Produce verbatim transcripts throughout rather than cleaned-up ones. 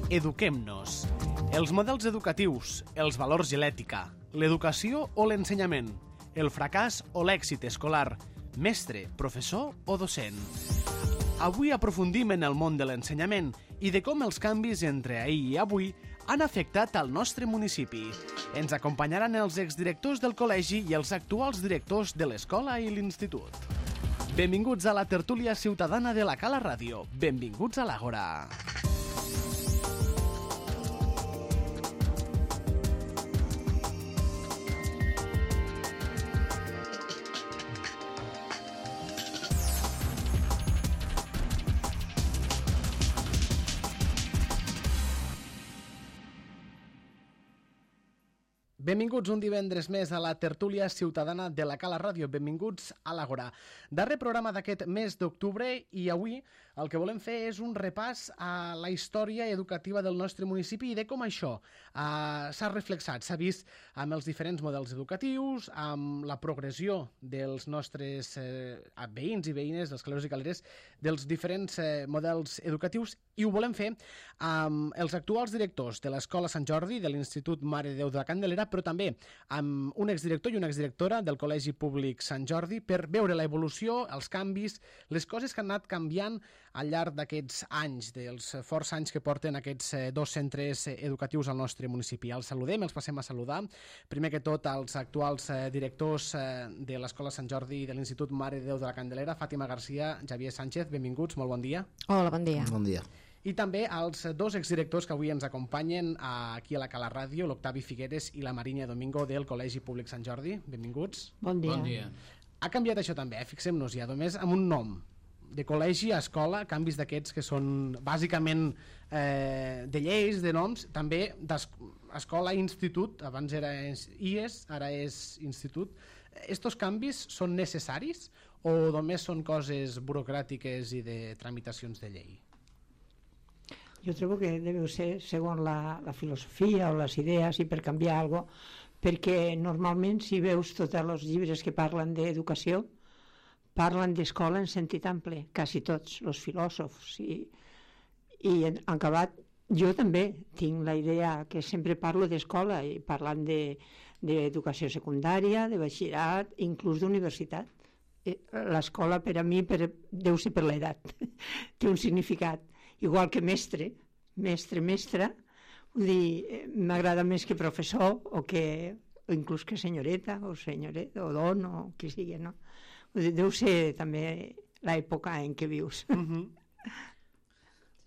Eduquem-nos. Els models educatius, els valors i l'ètica, l'educació o l'ensenyament, el fracàs o l'èxit escolar, mestre, professor o docent. Avui aprofundim en el món de l'ensenyament i de com els canvis entre ahir i avui han afectat al nostre municipi. Ens acompanyaran els exdirectors del col·legi i els actuals directors de l'escola i l'institut. Benvinguts a la tertúlia ciutadana de la Cala Ràdio. Benvinguts a l'Àgora. Benvinguts un divendres més a la tertúlia ciutadana de la Cala Ràdio. Benvinguts a l'Àgora. Darrer programa d'aquest mes d'octubre i avui el que volem fer és un repàs a la història educativa del nostre municipi i de com això uh, s'ha reflexat, s'ha vist amb els diferents models educatius, amb la progressió dels nostres eh, veïns i veïnes, dels caleros i caleres, dels diferents eh, models educatius, i ho volem fer amb els actuals directors de l'Escola Sant Jordi, de l'Institut Mare de Déu de la Candelera, però també amb un exdirector i una exdirectora del Col·legi Públic Sant Jordi per veure l'evolució, els canvis, les coses que han anat canviant al llarg d'aquests anys, dels forts anys que porten aquests dos centres educatius al nostre municipi. Els saludem, els passem a saludar. Primer que tot, als actuals directors de l'Escola Sant Jordi i de l'Institut Mare de Déu de la Candelera, Fàtima Garcia, Javier Sánchez, benvinguts, molt bon dia. Hola, bon dia. Bon dia. I també als dos exdirectors que avui ens acompanyen aquí a la Cala Ràdio, l'Octavi Figueres i la Marinya Domingo del Col·legi Públic Sant Jordi. Benvinguts. Bon dia. Bon dia. Ha canviat això també, eh? Fixem-nos ja, només amb un nom. De col·legi a escola, canvis d'aquests que són bàsicament eh, de lleis, de noms, també d'escola a institut, abans era I E S, ara és institut. Estos canvis són necessaris o només són coses burocràtiques i de tramitacions de llei? Jo trobo que deu ser segons la, la filosofia o les idees i per canviar alguna cosa, perquè normalment si veus tots els llibres que parlen d'educació parlen d'escola en sentit ample, quasi tots, els filòsofs, i, i en acabat jo també tinc la idea que sempre parlo d'escola i parlant d'educació de, secundària, de batxillerat, inclús d'universitat. L'escola per a mi per, deu ser per l'edat, té un significat, igual que mestre, mestre, mestra, vull dir, m'agrada més que professor o que o inclús que senyoreta o senyoret o don o qui sigui, no? Deu ser també l'època en què vius. Uh-huh.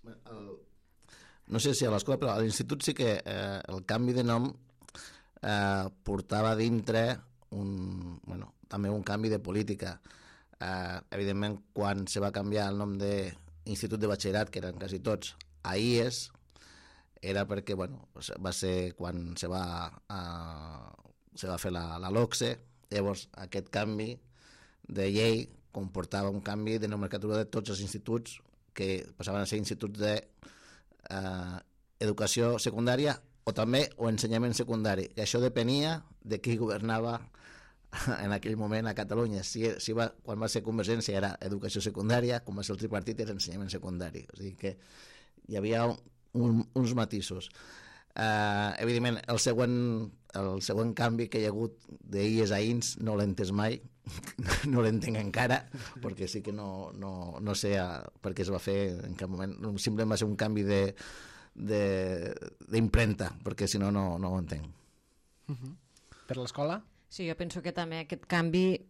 el, no sé si a l'escola, però a l'institut sí que eh, el canvi de nom eh, portava dintre un, bueno, també un canvi de política. Eh, evidentment, quan se va canviar el nom d'Institut de Batxillerat, que eren quasi tots, a I E S, era perquè bueno, va ser quan se va, eh, se va fer la, la LOCSE. Llavors aquest canvi de llei comportava un canvi de nomenclatura de tots els instituts que passaven a ser instituts d'educació eh, secundària o també o ensenyament secundari, que això depenia de qui governava en aquell moment a Catalunya. Si, si va, quan va ser Convergència era educació secundària, quan va ser el tripartit era ensenyament secundari. O sigui que hi havia un, uns matisos. Uh, evidentment, el següent, el següent canvi que hi ha hagut d'I E S a I N S no l'he entès mai, no l'entenc encara, perquè sí que no, no, no sé per què es va fer en cap moment. Simplement va ser un canvi de d'impremta, perquè si no, no ho entenc. Uh-huh. Per l'escola? Sí, jo penso que també aquest canvi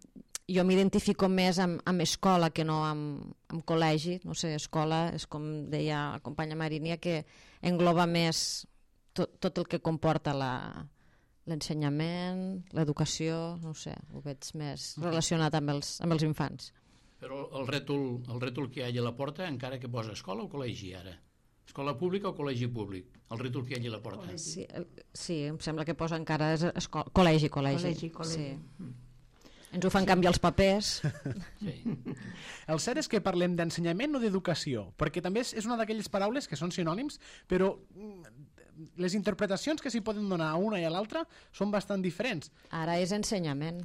jo m'identifico més amb, amb escola que no amb, amb col·legi. No sé, escola és com deia la companya Marinia, que engloba més tot, tot el que comporta la, l'ensenyament, l'educació, no sé, ho veig més relacionat amb els, amb els infants. Però el rètol, el rètol que hi ha allà a la porta, encara que posa escola o col·legi ara? Escola pública o col·legi públic? El rètol que hi ha allà a la porta. Sí, sí, em sembla que posa encara és escola, col·legi, col·legi. Col·legi, col·legi. Sí. Ens ho fan canviar els papers. Sí. El cert és que parlem d'ensenyament o d'educació, perquè també és una d'aquelles paraules que són sinònims, però les interpretacions que s'hi poden donar a una i a l'altra són bastant diferents. Ara és ensenyament.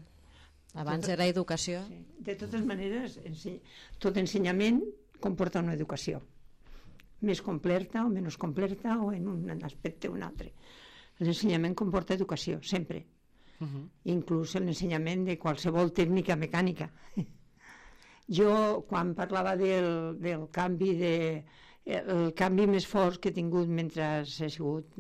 Abans era educació. Sí. De totes maneres, tot ensenyament comporta una educació. més completa o menys completa o en un aspecte o un altre. L'ensenyament comporta educació, sempre. Uh-huh. Inclús l'ensenyament de qualsevol tècnica mecànica. Jo, quan parlava del, del canvi de... el canvi més fort que he tingut mentre he sigut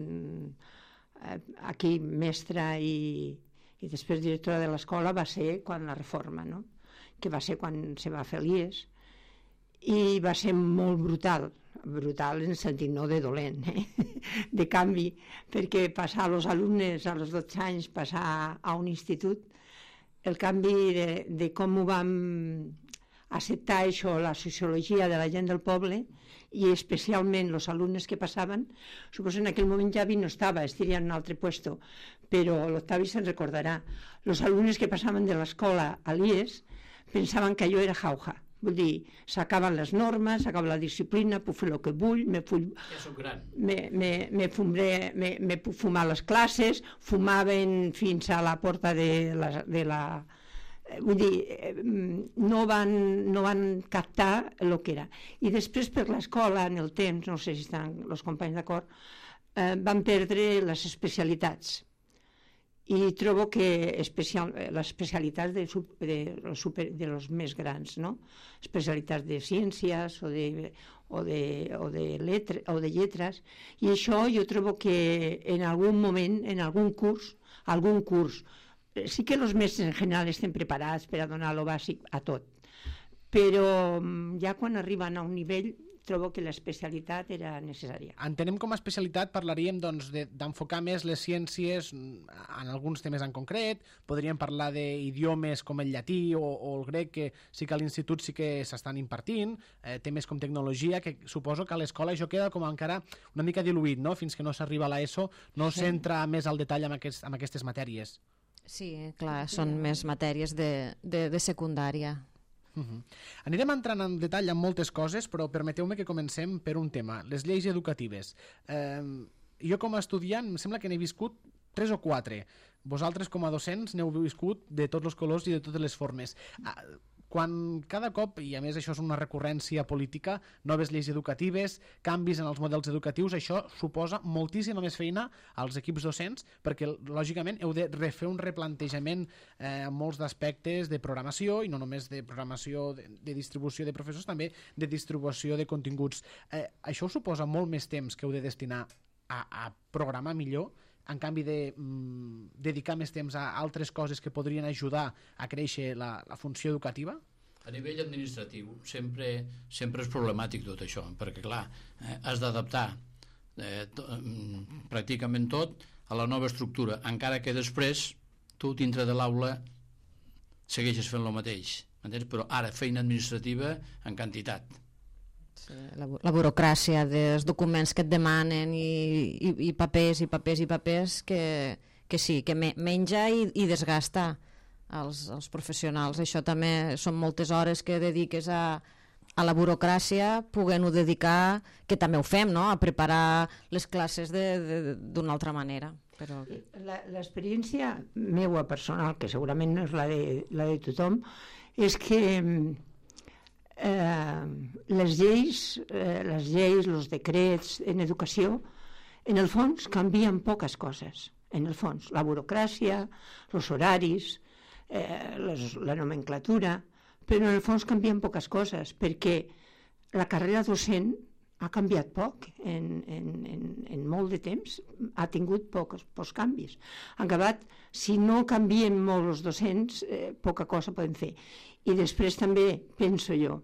aquí mestra i, i després directora de l'escola va ser quan la reforma, no? Que va ser quan se va fer l'I E S, i va ser molt brutal, brutal en el sentit no de dolent, eh? De canvi, perquè passar als alumnes als dotze anys, passar a un institut, el canvi de, de com ho vam acceptar això, la sociologia de la gent del poble, i especialment els alumnes que passaven, suposo en aquell moment Javi no estava, estaria en un altre puesto, però l'Octavi se'n recordarà. Els alumnes que passaven de l'escola a l'I E S pensaven que jo era jauja. Vull dir, s'acaben les normes, s'acaba la disciplina, puc fer el que vull, me, full, ja soc gran. me, me, me, fumbré, me, me puc fumar les classes, fumaven fins a la porta de la... De la vull dir, no van, no van captar el que era. I després per l'escola, en el temps, no sé si estan els companys d'acord, eh, van perdre les especialitats. I trobo que especial, les especialitats de, de, de, super, de los més grans, no? Especialitats de ciències o de, o de, o de, letre, o de lletres, i això jo trobo que en algun moment, en algun curs, algun curs, sí que els mestres en general estem preparats per a donar lo bàsic a tot, però ja quan arriben a un nivell trobo que l'especialitat era necessària. Entenem com a especialitat, parlaríem doncs, d'enfocar més les ciències en alguns temes en concret, podríem parlar d'idiomes com el llatí o, o el grec, que sí que a l'institut sí que s'estan impartint, eh, temes com tecnologia, que suposo que a l'escola això queda com encara una mica diluït, no? Fins que no s'arriba a l'ESO, no sí. S'entra més al detall amb, aquest, amb aquestes matèries. Sí, clar, són més matèries de, de, de secundària. Uh-huh. Anirem entrant en detall en moltes coses, però permeteu-me que comencem per un tema, les lleis educatives. Eh, jo com a estudiant em sembla que n'he viscut tres o quatre. Vosaltres com a docents n'heu viscut de tots els colors i de totes les formes. Quan cada cop, i a més això és una recurrència política, noves lleis educatives, canvis en els models educatius, això suposa moltíssima més feina als equips docents, perquè lògicament heu de refer un replantejament eh, en molts d'aspectes de programació, i no només de programació de, de distribució de professors, també de distribució de continguts. Eh, això suposa molt més temps que heu de destinar a, a programar millor, en canvi de mm, dedicar més temps a altres coses que podrien ajudar a créixer la, la funció educativa? A nivell administratiu sempre, sempre és problemàtic tot això, perquè clar, eh, has d'adaptar eh, to, mm, pràcticament tot a la nova estructura, encara que després tu dintre de l'aula segueixes fent el mateix, entens? Però ara feina administrativa en quantitat. Sí, la, la burocràcia dels documents que et demanen i, i, i papers i papers i papers que, que sí, que me, menja i, i desgasta els, els professionals. Això també són moltes hores que dediques a, a la burocràcia, podent-ho dedicar, que també ho fem, no?, a preparar les classes d'una altra manera. Però... L'experiència meua personal, que segurament no és la de, la de tothom, és que Eh, les lleis, eh, les lleis, els decrets en educació, en el fons canvien poques coses. En el fons, la burocràcia, els horaris, eh, les, la nomenclatura, però en el fons canvien poques coses, perquè la carrera docent ha canviat poc en, en, en, en molt de temps, ha tingut pocs, pocs canvis. En acabat, si no canvien molt els docents, eh, poca cosa poden fer. I després també penso jo,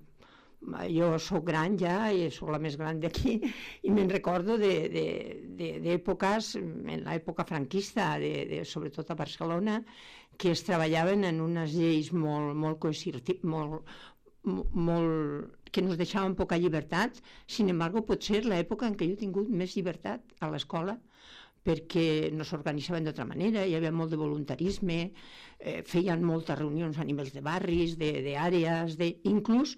jo sóc gran ja i sóc la més gran d'aquí i me'n recordo d'èpoques, en l'època franquista, de, de, sobretot a Barcelona, que es treballaven en unes lleis molt, molt coercitives, molt, molt, que ens deixaven poca llibertat. Sin embargo, potser l'època en què jo he tingut més llibertat a l'escola, perquè no s'organitzaven d'altra manera, hi havia molt de voluntarisme, eh, feien moltes reunions a nivells de barris, d'àrees, de, inclús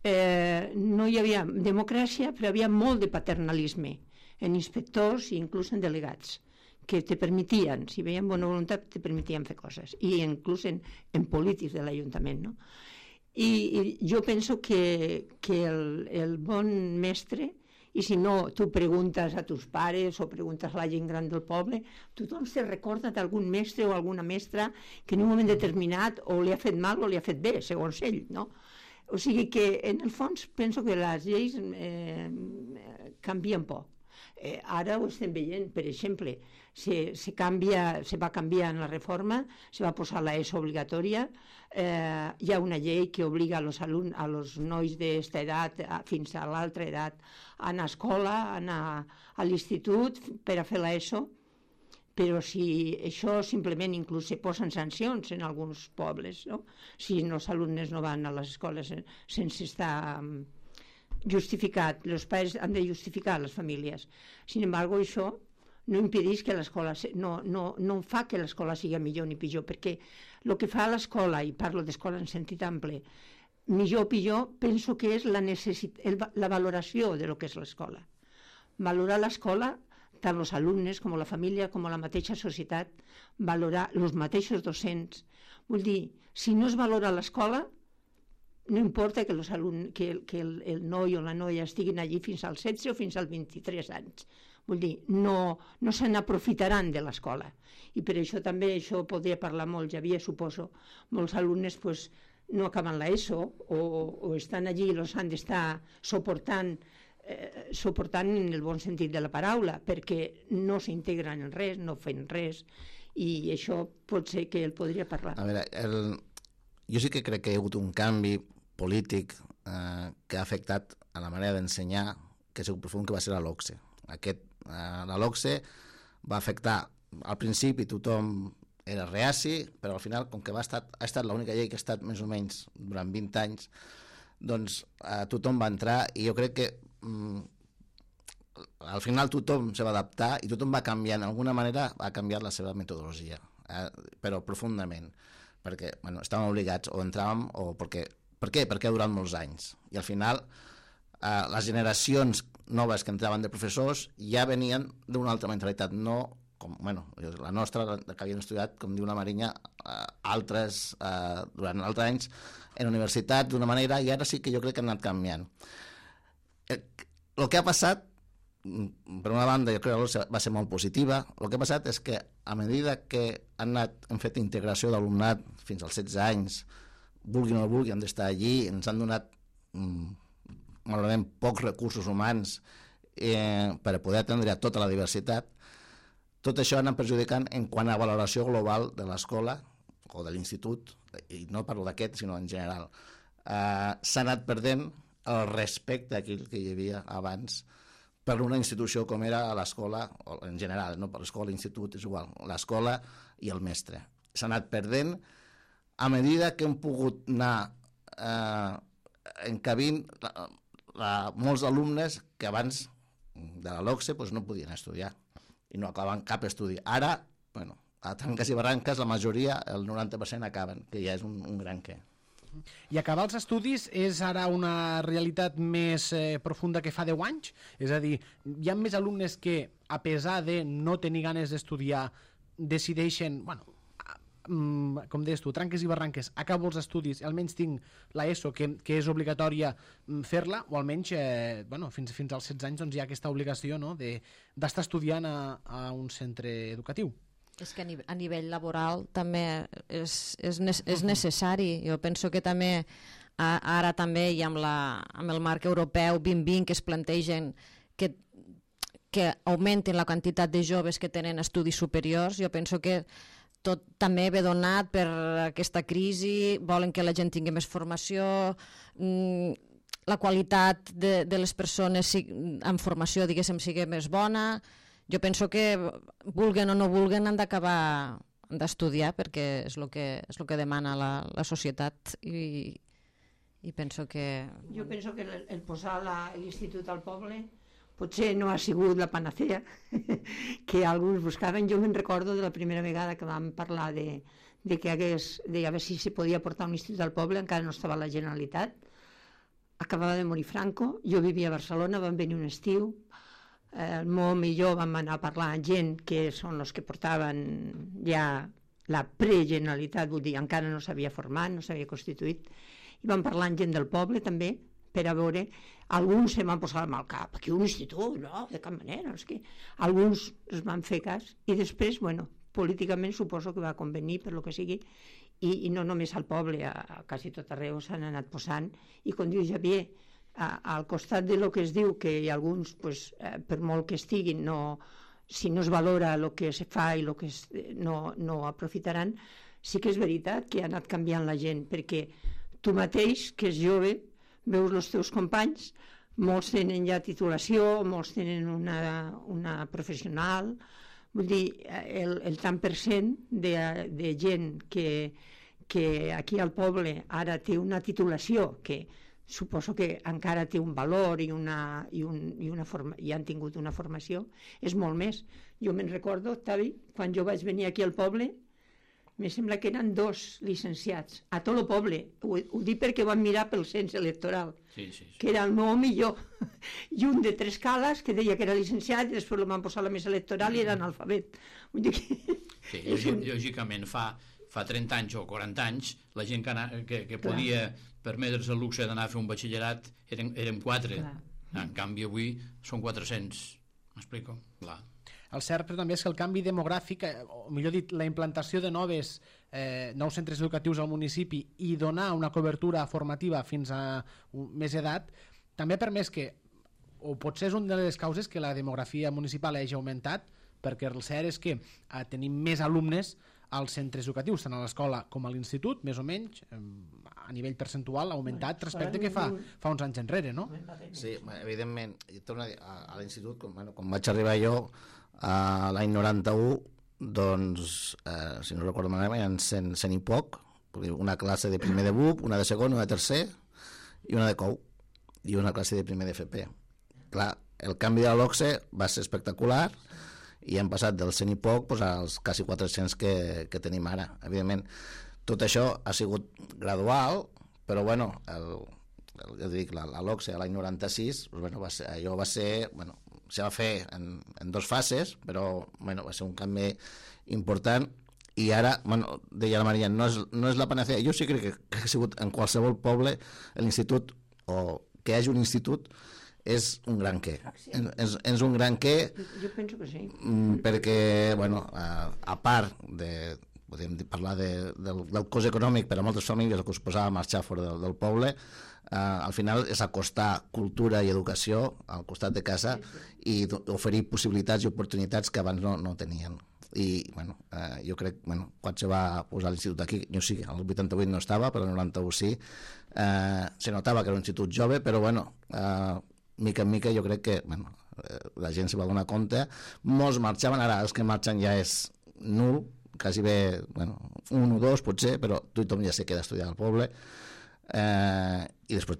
eh, no hi havia democràcia, però hi havia molt de paternalisme en inspectors i inclús en delegats, que te permetien, si veien bona voluntat, te permetien fer coses, i inclús en, en polítics de l'Ajuntament, no? I, i jo penso que, que el, el bon mestre i si no, tu preguntes a tus pares o preguntes a la gent gran del poble, tothom se recorda d'algun mestre o alguna mestra que en un moment determinat o li ha fet mal o li ha fet bé, segons ell, no? O sigui que, en el fons, penso que les lleis eh, canvien poc. Eh, ara ho estem veient, per exemple, se, se, canvia, se va canviar en la reforma, se va posar la ESO obligatòria, eh, hi ha una llei que obliga a los, alun, a los nois d'esta edat a, fins a l'altra edat a anar a escola, a anar a l'institut per a fer l'ESO, però si això simplement inclús se posen sancions en alguns pobles, no? Si els alumnes no van a les escoles sense estar justificat, els pares han de justificar les famílies. Sin embargo, això no impedeix que l'escola, no, no, no fa que l'escola sigui millor ni pitjor, perquè el que fa l'escola, i parlo d'escola en sentit ample, millor o pitjor, penso que és la, necessit, el, la valoració de lo que és l'escola. Valorar l'escola, tant els alumnes com la família, com la mateixa societat, valorar els mateixos docents. Vull dir, si no es valora l'escola, no importa que, los alumnes, que, que el, el noi o la noia estiguin allí fins als setze o fins als vint-i-tres anys. Vull dir, no, no se n'aprofitaran de l'escola. I per això també, això podria parlar molt, ja havia, suposo, molts alumnes pues, no acaben l'ESO o, o estan allí i els han d'estar suportant, eh, suportant en el bon sentit de la paraula, perquè no s'integren en res, no fan res, i això pot ser que el podria parlar. A veure, el... jo sí que crec que hi ha hagut un canvi polític eh, que ha afectat a la manera d'ensenyar, que és el profund, que va ser la LOCSE. Aquest, eh, la LOCSE va afectar, al principi tothom era reaci, però al final, com que va estat, ha estat l'única llei que ha estat més o menys durant vint anys, doncs eh, tothom va entrar, i jo crec que mm, al final tothom se va adaptar i tothom va canviar, d'alguna manera ha canviat la seva metodologia, eh, però profundament, perquè bueno, estàvem obligats, o entràvem, o perquè... Per què? Perquè ha durat molts anys. I al final, eh, les generacions noves que entraven de professors ja venien d'una altra mentalitat, no com, bueno, la nostra, que havien estudiat, com diu la Marinya, eh, altres, eh, durant altres anys, en universitat d'una manera, i ara sí que jo crec que han anat canviant. El, el que ha passat, per una banda, jo crec que va ser molt positiva. El que ha passat és que, a mesura que han anat, hem fet integració d'alumnat fins als setze anys, vulguin o no vulguin, han d'estar allí, ens han donat mm, malauradament pocs recursos humans eh, per a poder atendre a tota la diversitat. Tot això ha anat perjudicant en quant a valoració global de l'escola o de l'institut, i no parlo d'aquest, sinó en general. Eh, s'ha anat perdent el respecte aquell que hi havia abans per una institució com era l'escola, en general, no per l'escola, l'institut, és igual, l'escola i el mestre. S'ha anat perdent a mesura que hem pogut anar eh, encabint la, la, molts alumnes que abans de la LOCSE pues, no podien estudiar i no acabaven cap estudi. Ara, bueno, a tranques i barranques, la majoria, el noranta per cent acaben, que ja és un, un gran què. I acabar els estudis és ara una realitat més eh, profunda que fa deu anys? És a dir, hi ha més alumnes que, a pesar de no tenir ganes d'estudiar, decideixen, bueno, com deies tu, tranques i barranques, acabo els estudis i almenys tinc l'ESO, que, que és obligatòria fer-la, o almenys eh, bueno, fins, fins als setze anys doncs, hi ha aquesta obligació, no?, d'estar estudiant a, a un centre educatiu. És que a nivell, a nivell laboral també és, és, és necessari. Jo penso que també ara també i amb, la, amb el marc europeu vint vint que es plantegen que, que augmentin la quantitat de joves que tenen estudis superiors, jo penso que tot també ve donat per aquesta crisi, volen que la gent tingui més formació, la qualitat de, de les persones en formació, diguéssim, sigui més bona. Jo penso que, vulguen o no vulguen, han d'acabar d'estudiar, perquè és el que, és el que demana la, la societat, i, i penso que... Jo penso que el, el posar l'institut al poble potser no ha sigut la panacea que alguns buscaven. Jo me'n recordo de la primera vegada que vam parlar de, de que hagués, de a veure si se podia portar un institut al poble, encara no estava la Generalitat. Acabava de morir Franco, jo vivia a Barcelona, vam venir un estiu, el Mom i jo vam anar a parlar amb gent que són els que portaven ja la pre-Generalitat, vull dir, encara no s'havia format, no s'havia constituït, i vam parlar amb gent del poble també, per a veure, alguns se m'han posat amb el cap, aquí un institut, no, de cap manera, no sé què. Alguns es van fer cas, i després, bueno, políticament suposo que va convenir per lo que sigui, i, i no només al poble, a, a quasi tot arreu s'han anat posant, i com diu Javier, a, al costat de lo que es diu que hi ha alguns, pues, eh, per molt que estiguin, no, si no es valora el que se fa i el que es, no, no aprofitaran, sí que és veritat que ha anat canviant la gent, perquè tu mateix, que és jove, veus els teus companys, molts tenen ja titulació, molts tenen una, una professional, vull dir, el, el tant per cent de, de gent que, que aquí al poble ara té una titulació que suposo que encara té un valor i, una, i, un, i, una forma, i han tingut una formació, és molt més. Jo me'n recordo, Tavi, quan jo vaig venir aquí al poble, me sembla que eren dos licenciats a tot el poble, ho, ho dic perquè van mirar pel cens electoral, sí, sí, sí. que era el meu millor, i un de tres cales que deia que era licenciat i després el van posar a la mesa electoral i era analfabet. Vull dir que... Sí, lògic, lògicament fa, fa trenta anys o quaranta anys la gent que, que, que podia permetre's el luxe d'anar a fer un batxillerat eren, eren quatre, clar. En canvi avui són quatre-cents, m'explico? Clar. El cert però també és que el canvi demogràfic, o millor dit, la implantació de noves, eh, nous centres educatius al municipi i donar una cobertura formativa fins a més edat, també ha permès que, o potser és una de les causes que la demografia municipal hagi augmentat, perquè el cert és que eh, tenim més alumnes als centres educatius, tant a l'escola com a l'institut, més o menys, eh, a nivell percentual ha augmentat respecte que fa, fa uns anys enrere, no? Sí, evidentment, a, a l'institut, com, bueno, quan vaig arribar jo, a l'any noranta-u, doncs, eh, si no recordo malament, eren cent, cent i poc, una classe de primer de B U P, una de segon, una de tercer, i una de C O U, i una classe de primer de F P. Clar, el canvi de l'O C S E va ser espectacular, i hem passat dels cent i poc doncs, als quasi quatre-cents que, que tenim ara. Evidentment, tot això ha sigut gradual, però bueno, el, el, ja dic, la, la l'O C S E l'any noranta-sis, doncs, bueno, va ser, allò va ser... Bueno, se va fer en, en dos fases, però bueno, va ser un canvi important, i ara, bueno, deia la Maria, no és, no és la panacea. Jo sí crec que, que ha sigut en qualsevol poble l'institut, o que hi hagi un institut, és un gran què. És, és un gran què, jo penso que sí. Perquè, bueno, a, a part de, podem parlar de, del, del cost econòmic per a moltes famílies que us posava a marxar fora del, del poble, Uh, al final és acostar cultura i educació al costat de casa i oferir possibilitats i oportunitats que abans no, no tenien. I bueno, uh, jo crec, bueno, quan se va posar l'institut aquí, jo sí, el vuitanta-vuit no estava, però el noranta-u sí, uh, se notava que era un institut jove, però bueno, uh, mica en mica jo crec que bueno, uh, la gent se va donar compte, molts marxaven, ara els que marxen ja és nul, quasi bé, bueno, un o dos potser, però tothom ja se queda a estudiar al poble. Eh, i després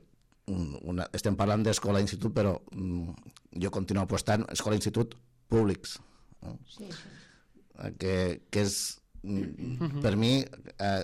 una, estem parlant d'escola i institut, però um, jo continuo apostant escola i institut públics, no? Sí, sí. Que, que és mm, per mi eh,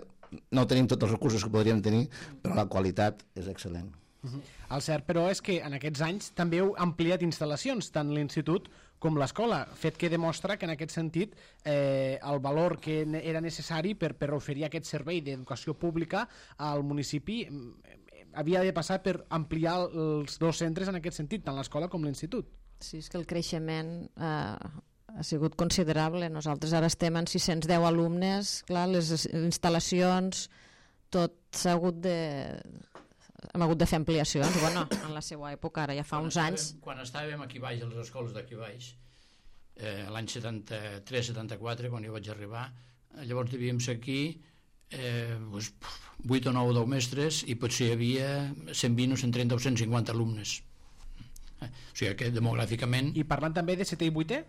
no tenim tots els recursos que podríem tenir, però la qualitat és excel·lent. Uh-huh. El cert, però, és que en aquests anys també heu ampliat instal·lacions, tant l'institut com l'escola, fet que demostra que en aquest sentit eh, el valor que era necessari per, per oferir aquest servei d'educació pública al municipi eh, havia de passar per ampliar els dos centres en aquest sentit, tant l'escola com l'institut. Sí, és que el creixement eh, ha sigut considerable. Nosaltres ara estem en sis-cents deu alumnes, clar, les instal·lacions, tot s'ha hagut de... hem hagut de fer ampliacions, bueno, en la seva època, ara ja fa quan uns estàvem, anys. Quan estàvem aquí baix, a les escoles d'aquí baix, eh, l'any setanta-tres setanta-quatre, quan jo vaig arribar, llavors devíem ser aquí eh, doncs, vuit o nou o deu mestres, i potser hi havia cent vint o cent trenta o cent cinquanta alumnes. Eh, o sigui que demogràficament... I parlant també de setè i vuitè?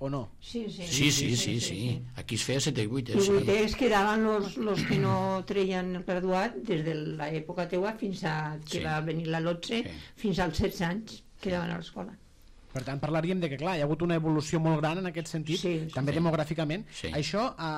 O no? Sí, sí, sí, sí, sí, sí, sí, sí. Aquí es feia setè i vuitè. I Sí. vuitès quedaven els, els que no treien el graduat des de l'època teua fins a que Sí. va venir la L O T S E, Sí. fins als setze anys quedaven a l'escola. Per tant, parlaríem de que, clar, hi ha hagut una evolució molt gran en aquest sentit, sí, també sí. demogràficament. Sí. Això ha,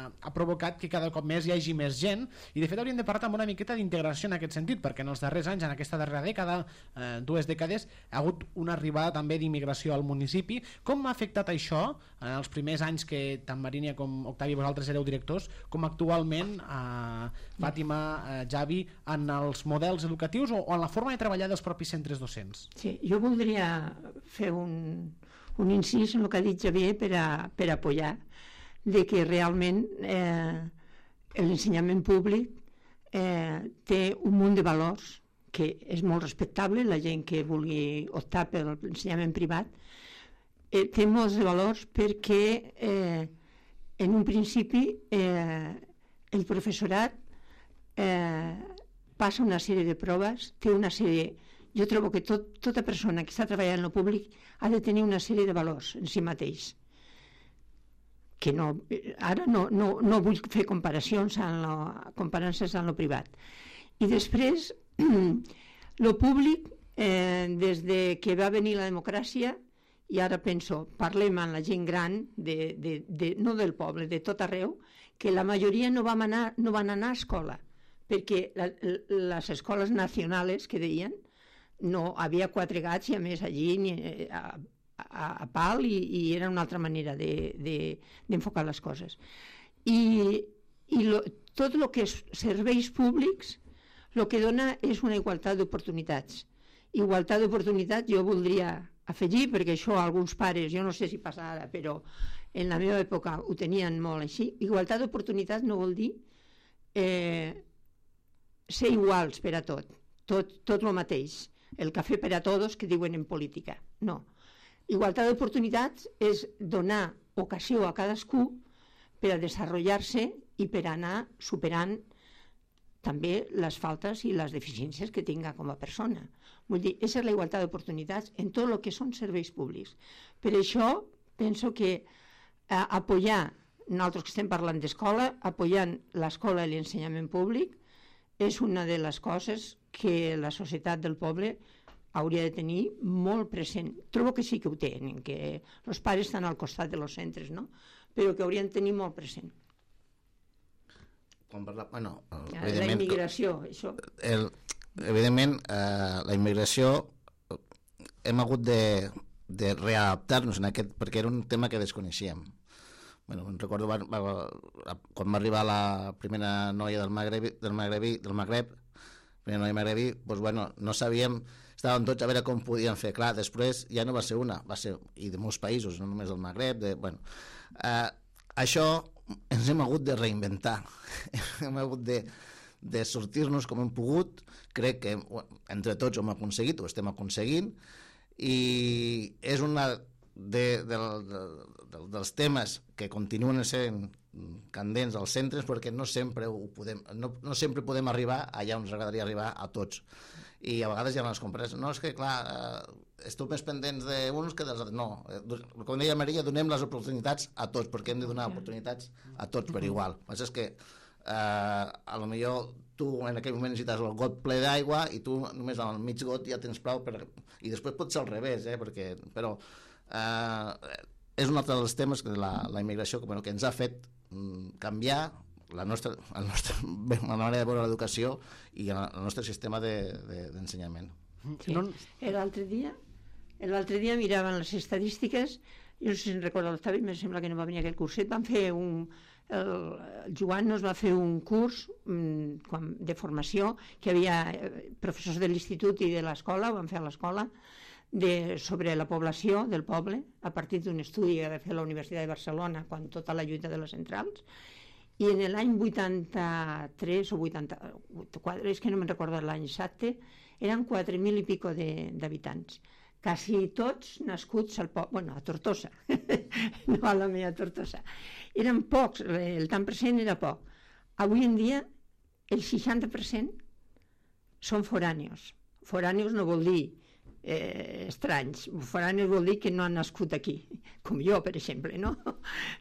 ha provocat que cada cop més hi hagi més gent, i de fet hauríem de parlar també una miqueta d'integració en aquest sentit, perquè en els darrers anys, en aquesta darrera dècada, eh, dues dècades, ha hagut una arribada també d'immigració al municipi. Com ha afectat això en els primers anys que tant Marínia com Octavi vosaltres éreu directors, com actualment, eh, Fàtima, eh, Javi, en els models educatius o, o en la forma de treballar dels propis centres docents? Sí, jo voldria fer un, un incís en el que ha dit Javier per a, per a apoyar de que realment eh, l'ensenyament públic eh, té un munt de valors que és molt respectable, la gent que vulgui optar per l'ensenyament privat eh, té molts de valors perquè eh, en un principi eh, el professorat eh, passa una sèrie de proves, té una sèrie. Jo trobo que tot, tota persona que està treballant en el públic ha de tenir una sèrie de valors en si mateix. Que no, ara no, no, no vull fer comparacions en lo, comparances en el privat. I després, el públic, eh, des de que va venir la democràcia, i ara penso, parlem amb la gent gran, de, de, de, no del poble, de tot arreu, que la majoria no van anar, no van anar a escola, perquè la, les escoles nacionals que deien, no, havia quatre gats i a més allí ni, a, a, a pal i, i era una altra manera d'enfocar de, de, les coses. I, i lo, tot el que és serveis públics el que dona és una igualtat d'oportunitats. Igualtat d'oportunitats jo voldria afegir, perquè això alguns pares, jo no sé si passa ara, però en la meva època ho tenien molt així. Igualtat d'oportunitats no vol dir eh, ser iguals per a tot, tot, tot el mateix. El cafè per a tots que diuen en política. No. Igualtat d'oportunitats és donar ocasió a cadascú per a desenvolupar-se i per anar superant també les faltes i les deficiències que tinga com a persona. Vull dir, aquesta és la igualtat d'oportunitats en tot el que són serveis públics. Per això penso que eh, apoyar, nosaltres que estem parlant d'escola, apoyant l'escola i l'ensenyament públic és una de les coses que la societat del poble hauria de tenir molt present. Trobo que sí que ho tenen, que els pares estan al costat dels centres, no? Però que haurien de tenir molt present. Quan parla, bueno, la immigració, això. El, evidentment, eh, la immigració hem hagut de, de readaptar-nos en aquest, perquè era un tema que desconeixíem. Bueno, recordo va, va, quan va arribar la primera noia del Magreb, del Magreb, del Magreb primera noia magrebí, doncs, bueno, no sabíem, estàvem tots a veure com podien fer. Clar, després ja no va ser una, va ser, i de molts països, no només del Magreb, de, bueno, eh, això ens hem hagut de reinventar, hem hagut de, de sortir-nos com hem pogut, crec que entre tots ho hem aconseguit, ho estem aconseguint, i és una de, de, de, de, dels temes que continuen sent candents als centres, perquè no sempre ho podem, no, no sempre podem arribar allà on ens agradaria arribar a tots, i a vegades hi ha les comparacions, no, és que clar eh, esteu més pendents d'uns que dels altres, no, com deia Maria, donem les oportunitats a tots, perquè hem de donar oportunitats a tots per igual. El que és que eh, a lo millor tu en aquell moment necessites el got ple d'aigua i tu només al mig got ja tens prou per... i després pot ser al revés, eh, perquè, però eh, és un altre dels temes que la, la immigració que, bueno, que ens ha fet canviar la nostra, el nostre, la manera de veure l'educació i el nostre sistema d'ensenyament. De, sí. L'altre dia l'altre dia miraven les estadístiques, jo no sé si em recordo l'Octavi, em sembla que no va venir aquell curset, van fer un, el, el Joan nos va fer un curs um, de formació que hi havia professors de l'institut i de l'escola, ho van fer a l'escola, de, sobre la població del poble a partir d'un estudi que va fer la Universitat de Barcelona quan tota la lluita de les centrals, i en l'any vuitanta-tres o vuitanta-quatre, és que no me'n recordo l'any exacte, eren quatre mil i pico d'habitants, quasi tots nascuts al poble, bueno, a Tortosa, no a la meva Tortosa. Eren pocs, el tant per cent era poc. Avui en dia el seixanta per cent són forànios. Forànios no vol dir Eh, estranys. Foranis vol dir que no han nascut aquí, com jo, per exemple, no?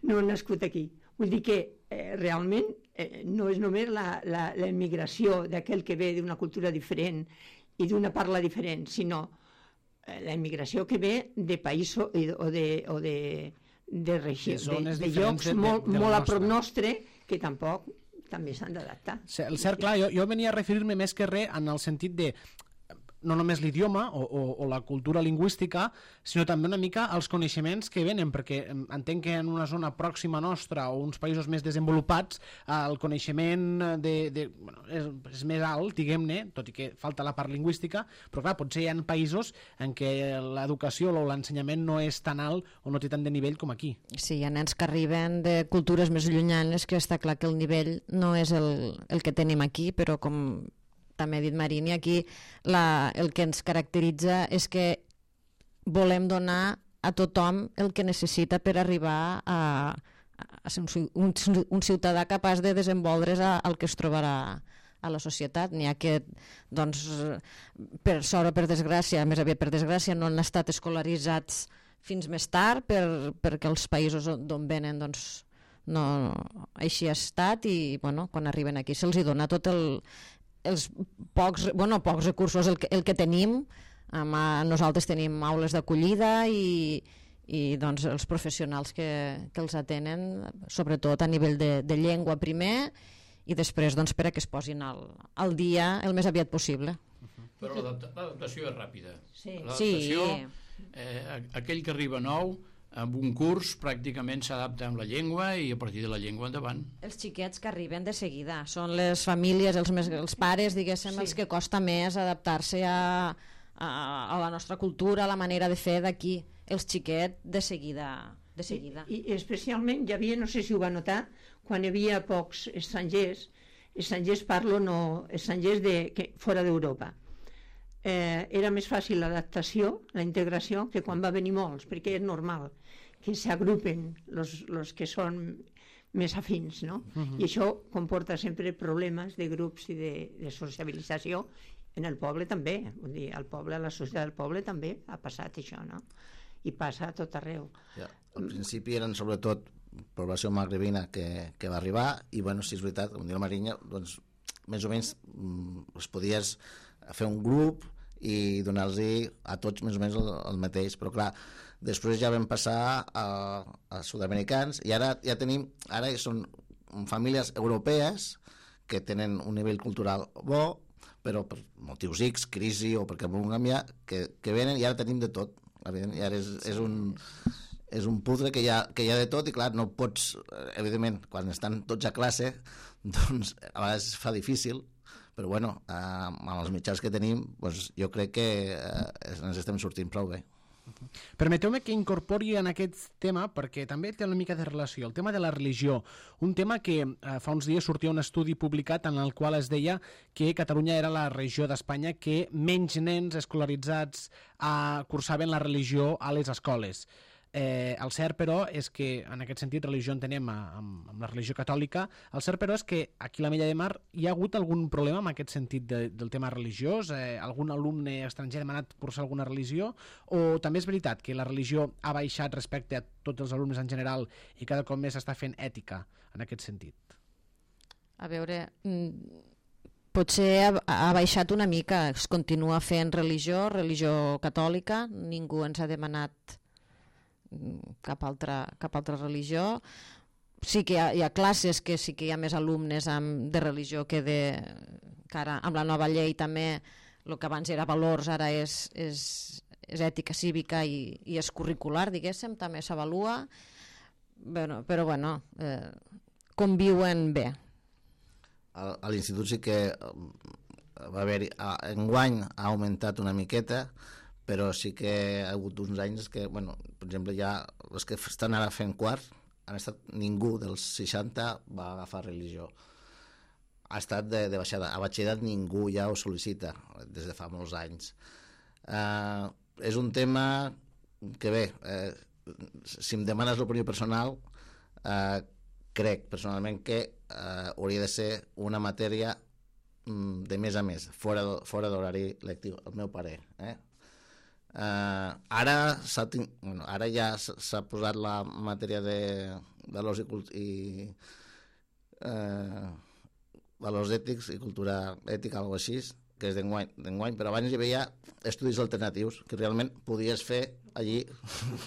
No han nascut aquí. Vull dir que eh, realment eh, no és només la, la, la immigració d'aquell que ve d'una cultura diferent i d'una parla diferent, sinó la immigració que ve de països o de, o de, de, regió, de, de, de llocs de, molt, de molt a prop nostre, que tampoc també s'han d'adaptar. El cert, clar, jo, jo venia a referir-me més que res en el sentit de no només l'idioma o, o, o la cultura lingüística, sinó també una mica els coneixements que venen, perquè entenc que en una zona pròxima nostra o uns països més desenvolupats el coneixement de, de, bueno, és, és més alt, diguem-ne, tot i que falta la part lingüística, però clar, potser hi ha països en què l'educació o l'ensenyament no és tan alt o no té tant de nivell com aquí. Sí, hi ha nens que arriben de cultures més llunyanes que està clar que el nivell no és el, el que tenim aquí, però com també ha dit Marini, aquí la, el que ens caracteritza és que volem donar a tothom el que necessita per arribar a, a ser un, un, un ciutadà capaç de desenvolvre's al que es trobarà a la societat. N'hi ha que, doncs, per sort o per desgràcia, més aviat per desgràcia, no han estat escolaritzats fins més tard per, perquè els països d'on venen, doncs, no, així ha estat i, bueno, quan arriben aquí se'ls hi dona tot el els pocs, bueno, pocs recursos el que, el que tenim. Um, nosaltres tenim aules d'acollida i, i doncs, els professionals que, que els atenen, sobretot a nivell de, de llengua primer i després doncs, per a que es posin al, al dia el més aviat possible. Però l'adaptació és ràpida. Sí. L'adaptació, sí. eh, aquell que arriba nou amb un curs pràcticament s'adapta amb la llengua i a partir de la llengua endavant. Els xiquets que arriben de seguida són les famílies, els, més, els pares, diguéssim, sí. els que costa més adaptar-se a, a, a la nostra cultura, a la manera de fer d'aquí. Els xiquets de seguida. De seguida. I, I especialment hi havia, no sé si ho va notar, quan hi havia pocs estrangers, estrangers parlo no, estrangers de, que, fora d'Europa. Eh, era més fàcil l'adaptació, la integració, que quan va venir molts, perquè és normal que s'agrupen els que són més afins, no? Uh-huh. I això comporta sempre problemes de grups i de, de sociabilització en el poble també, vull dir, al poble, a la societat del poble també ha passat això, no? I passa a tot arreu. Ja, al principi eren sobretot població magrebina que, que va arribar i, bueno, si és veritat, com diu la Marinya, doncs, més o menys es podies fer un grup i donar-los a tots més o menys el, el mateix, però clar, després ja vam passar a, a sud-americans i ara ja tenim, ara són famílies europees que tenen un nivell cultural bo, però per motius X, crisi o perquè volem canviar, que, que venen i ara tenim de tot, i ara és, és un és un puzzle que hi, ha, que hi ha de tot i clar, no pots, evidentment, quan estan tots a classe, doncs a vegades es fa difícil, però bueno, eh, amb els mitjans que tenim doncs, jo crec que eh, ens estem sortint prou bé. Permeteu-me que incorpori en aquest tema, perquè també té una mica de relació, el tema de la religió, un tema que eh, fa uns dies sortia un estudi publicat en el qual es deia que Catalunya era la regió d'Espanya que menys nens escolaritzats eh, cursaven la religió a les escoles. Eh, el cert, però, és que en aquest sentit religió entenem amb, amb la religió catòlica. El cert, però, és que aquí a la Mella de Mar hi ha hagut algun problema en aquest sentit de, del tema religiós? Eh, algun alumne estranger ha demanat cursar alguna religió? O també és veritat que la religió ha baixat respecte a tots els alumnes en general i cada cop més s'està fent ètica en aquest sentit? A veure, potser ha, ha baixat una mica. Es continua fent religió, religió catòlica. Ningú ens ha demanat cap altra, cap altra religió. Sí que hi ha, hi ha classes que sí que hi ha més alumnes amb, de religió que de... que ara amb la nova llei també el que abans era valors ara és, és, és ètica cívica i, i és curricular, diguéssim, també s'avalua, bueno, però bueno, eh, conviuen bé. A, a l'institut sí que va haver-hi, enguany ha augmentat una miqueta, però sí que ha hagut uns anys que, bueno, per exemple, ja els que estan ara fent quart, han estat, ningú dels seixanta va agafar religió. Ha estat de, de baixada. A batxillerat ningú ja ho sol·licita des de fa molts anys. Uh, és un tema que bé, eh, si em demanes l'opinió personal, eh, crec personalment que eh, hauria de ser una matèria mm, de més a més, fora, fora d'horari lectiu, el meu parer, eh? Uh, ara, bueno, ara ja s'ha posat la matèria de valors i, i uh, valors ètics i cultura ètica, alguna així, que és d'enguany, d'enguany, però abans hi havia estudis alternatius que realment podies fer allí,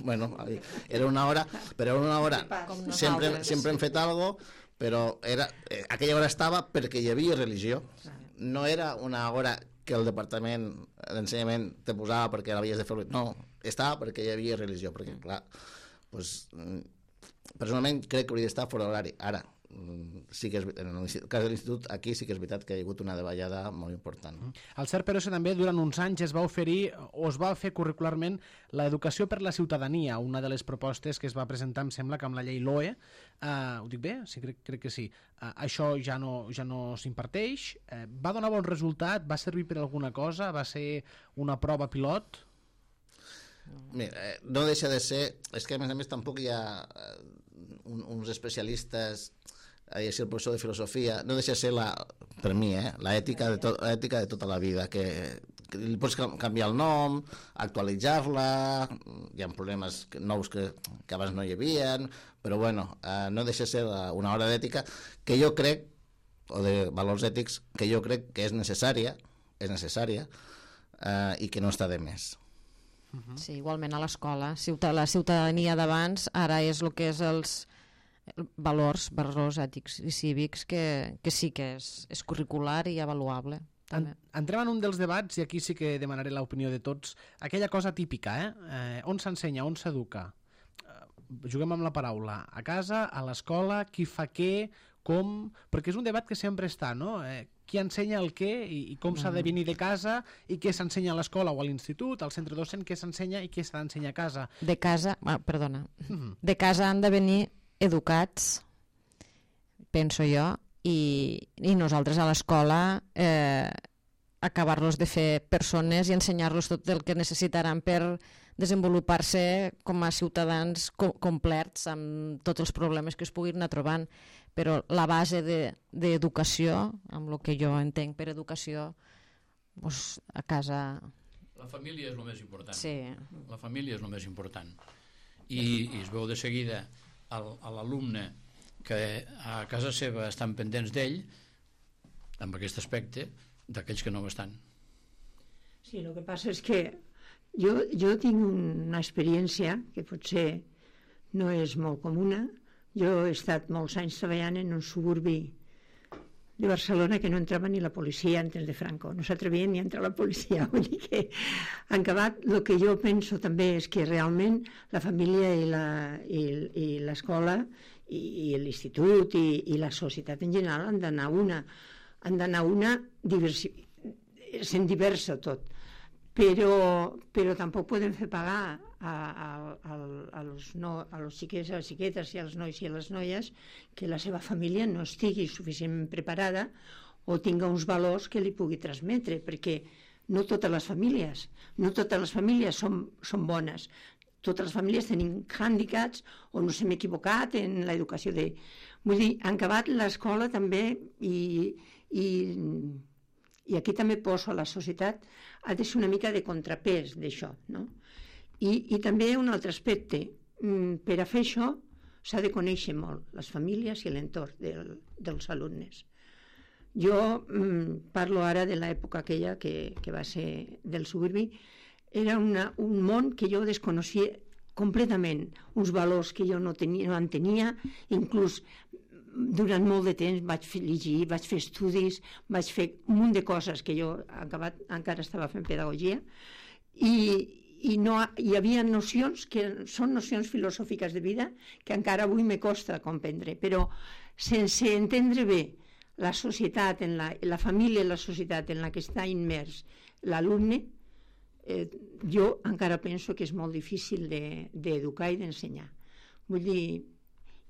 bueno, allí. Era una hora, però era una hora, sempre, sempre hem fet alguna cosa, però era, eh, aquella hora estava perquè hi havia religió, no era una hora que el departament d'ensenyament te posava perquè l'havies de fer, no, estava perquè hi havia religió, perquè clar, doncs, personalment crec que hauria d'estar fora d'horari. Ara, sí que és, en el cas de l'institut, aquí sí que és veritat que hi ha hagut una davallada molt important. El cert, però, és que també durant uns anys es va oferir o es va fer curricularment l'educació per la ciutadania, una de les propostes que es va presentar, em sembla, que amb la llei L O E. Uh, ho dic bé? Sí, crec, crec que sí. Uh, això ja no, ja no s'imparteix. Uh, va donar bon resultat? Va servir per alguna cosa? Va ser una prova pilot? Mira, eh, no deixa de ser... És que, a més a més, tampoc hi ha eh, un, uns especialistes... i el professor de filosofia, no deixa de ser la, per mi, eh, l'ètica de, to, l'ètica de tota la vida, que, que li pots canviar el nom, actualitzar-la, hi ha problemes nous que, que abans no hi havia, però bueno, eh, no deixa de ser una hora d'ètica que jo crec, o de valors ètics, que jo crec que és necessària, és necessària, eh, i que no està de més. Sí, igualment a l'escola. La ciutadania d'abans ara és el que és els valors, valors ètics i cívics que, que sí que és, és curricular i avaluable. En, entrem en un dels debats i aquí sí que demanaré l'opinió de tots. Aquella cosa típica, eh? eh on s'ensenya, on s'educa? Eh, juguem amb la paraula. A casa, a l'escola, qui fa què, com... Perquè és un debat que sempre està, no? Eh, qui ensenya el què i, i com s'ha de venir de casa i què s'ensenya a l'escola o a l'institut, al centre docent, què s'ensenya i què s'ha d'ensenyar a casa. De casa, ah, perdona, uh-huh. De casa han de venir educats, penso jo, i, i nosaltres a l'escola eh, acabar-los de fer persones i ensenyar-los tot el que necessitaran per desenvolupar-se com a ciutadans co complets amb tots els problemes que es puguin anar trobant. Però la base d'educació, de, amb el que jo entenc per educació, doncs a casa... La família és el més important. Sí. La família és el més important. I, i es veu de seguida a l'alumne que a casa seva estan pendents d'ell, amb aquest aspecte, d'aquells que no ho estan. Sí, el que passa és que jo, jo tinc una experiència que potser no és molt comuna. Jo he estat molts anys treballant en un suburbi de Barcelona que no entrava ni la policia antes de Franco, no s'atrevien ni a entrar la policia, vull dir que en acabat el que jo penso també és que realment la família i la, i, i l'escola i, i l'institut i, i la societat en general han d'anar una, han d'anar una diversi, sent diversa tot, però, però tampoc podem fer pagar a, a, a, a, los no, a los xiquets, a les xiquetes i als nois i a les noies que la seva família no estigui suficientment preparada o tinga uns valors que li pugui transmetre, perquè no totes les famílies, no totes les famílies són, són bones. Totes les famílies tenim hàndicaps o no s'hem equivocat en l'educació de... Vull dir, han acabat l'escola també i, i, i aquí també poso a la societat, ha de ser una mica de contrapès d'això, no? I, I també un altre aspecte, per a fer això s'ha de conèixer molt les famílies i l'entorn del, dels alumnes. Jo mm, parlo ara de l'època aquella que, que va ser del suburbi, era una, un món que jo desconeixia completament, uns valors que jo no, tenia, no entenia, inclús durant molt de temps vaig fer llegir, vaig fer estudis, vaig fer un munt de coses que jo acabat, encara estava fent pedagogia, i, i no, hi havia nocions que són nocions filosòfiques de vida que encara avui me costa comprendre, però sense entendre bé la societat, en la, la família i la societat en la que està immers l'alumne, eh, jo encara penso que és molt difícil d'educar de, i d'ensenyar. Vull dir,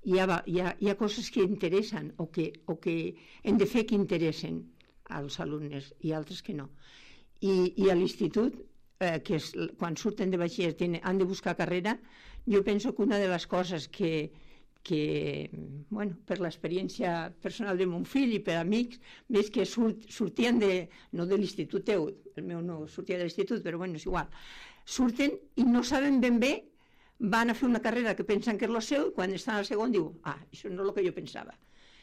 hi ha, hi, ha, hi ha coses que interessen o que, o que hem de fer que interessen als alumnes i altres que no. I, i a l'institut, eh, que és, quan surten de batxiller tenen, han de buscar carrera, jo penso que una de les coses que, que bueno, per l'experiència personal de mon fill i per amics, més que surt, sortien de, no de l'institut teu, el meu no sortia de l'institut, però bueno, és igual, surten i no saben ben bé, van a fer una carrera que pensen que és el seu i quan estan al segon diu, ah, això no és el que jo pensava.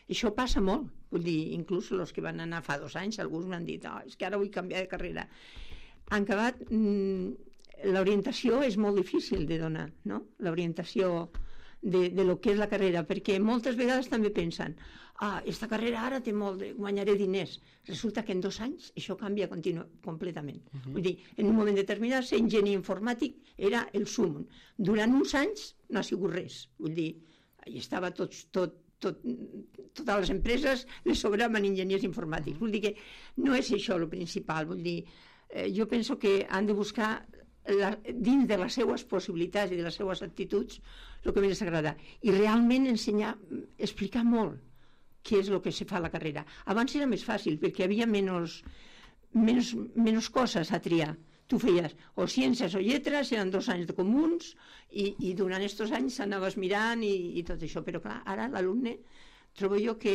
Això passa molt, vull dir, inclús els que van anar fa dos anys, alguns m'han dit, oh, és que ara vull canviar de carrera. En acabat, l'orientació és molt difícil de donar, no? L'orientació de, de lo que és la carrera, perquè moltes vegades també pensen, ah, esta carrera ara té molt, de, guanyaré diners. Resulta que en dos anys això canvia continu, completament. Uh-huh. Vull dir, en un moment determinat ser enginyer informàtic era el sum. Durant uns anys no ha sigut res. Vull dir, hi estava tots, tot, tot, totes les empreses les sobraven enginyers informàtics. Vull dir que no és això el principal. Vull dir, eh, jo penso que han de buscar la, dins de les seues possibilitats i de les seues actituds el que més agrada. I realment ensenyar, explicar molt què és el que se fa a la carrera. Abans era més fàcil, perquè hi havia menys, menys, menys coses a triar. Tu feies o ciències o lletres, eren dos anys de comuns, i, i durant aquests anys anaves mirant i, i tot això. Però clar, ara l'alumne trobo jo que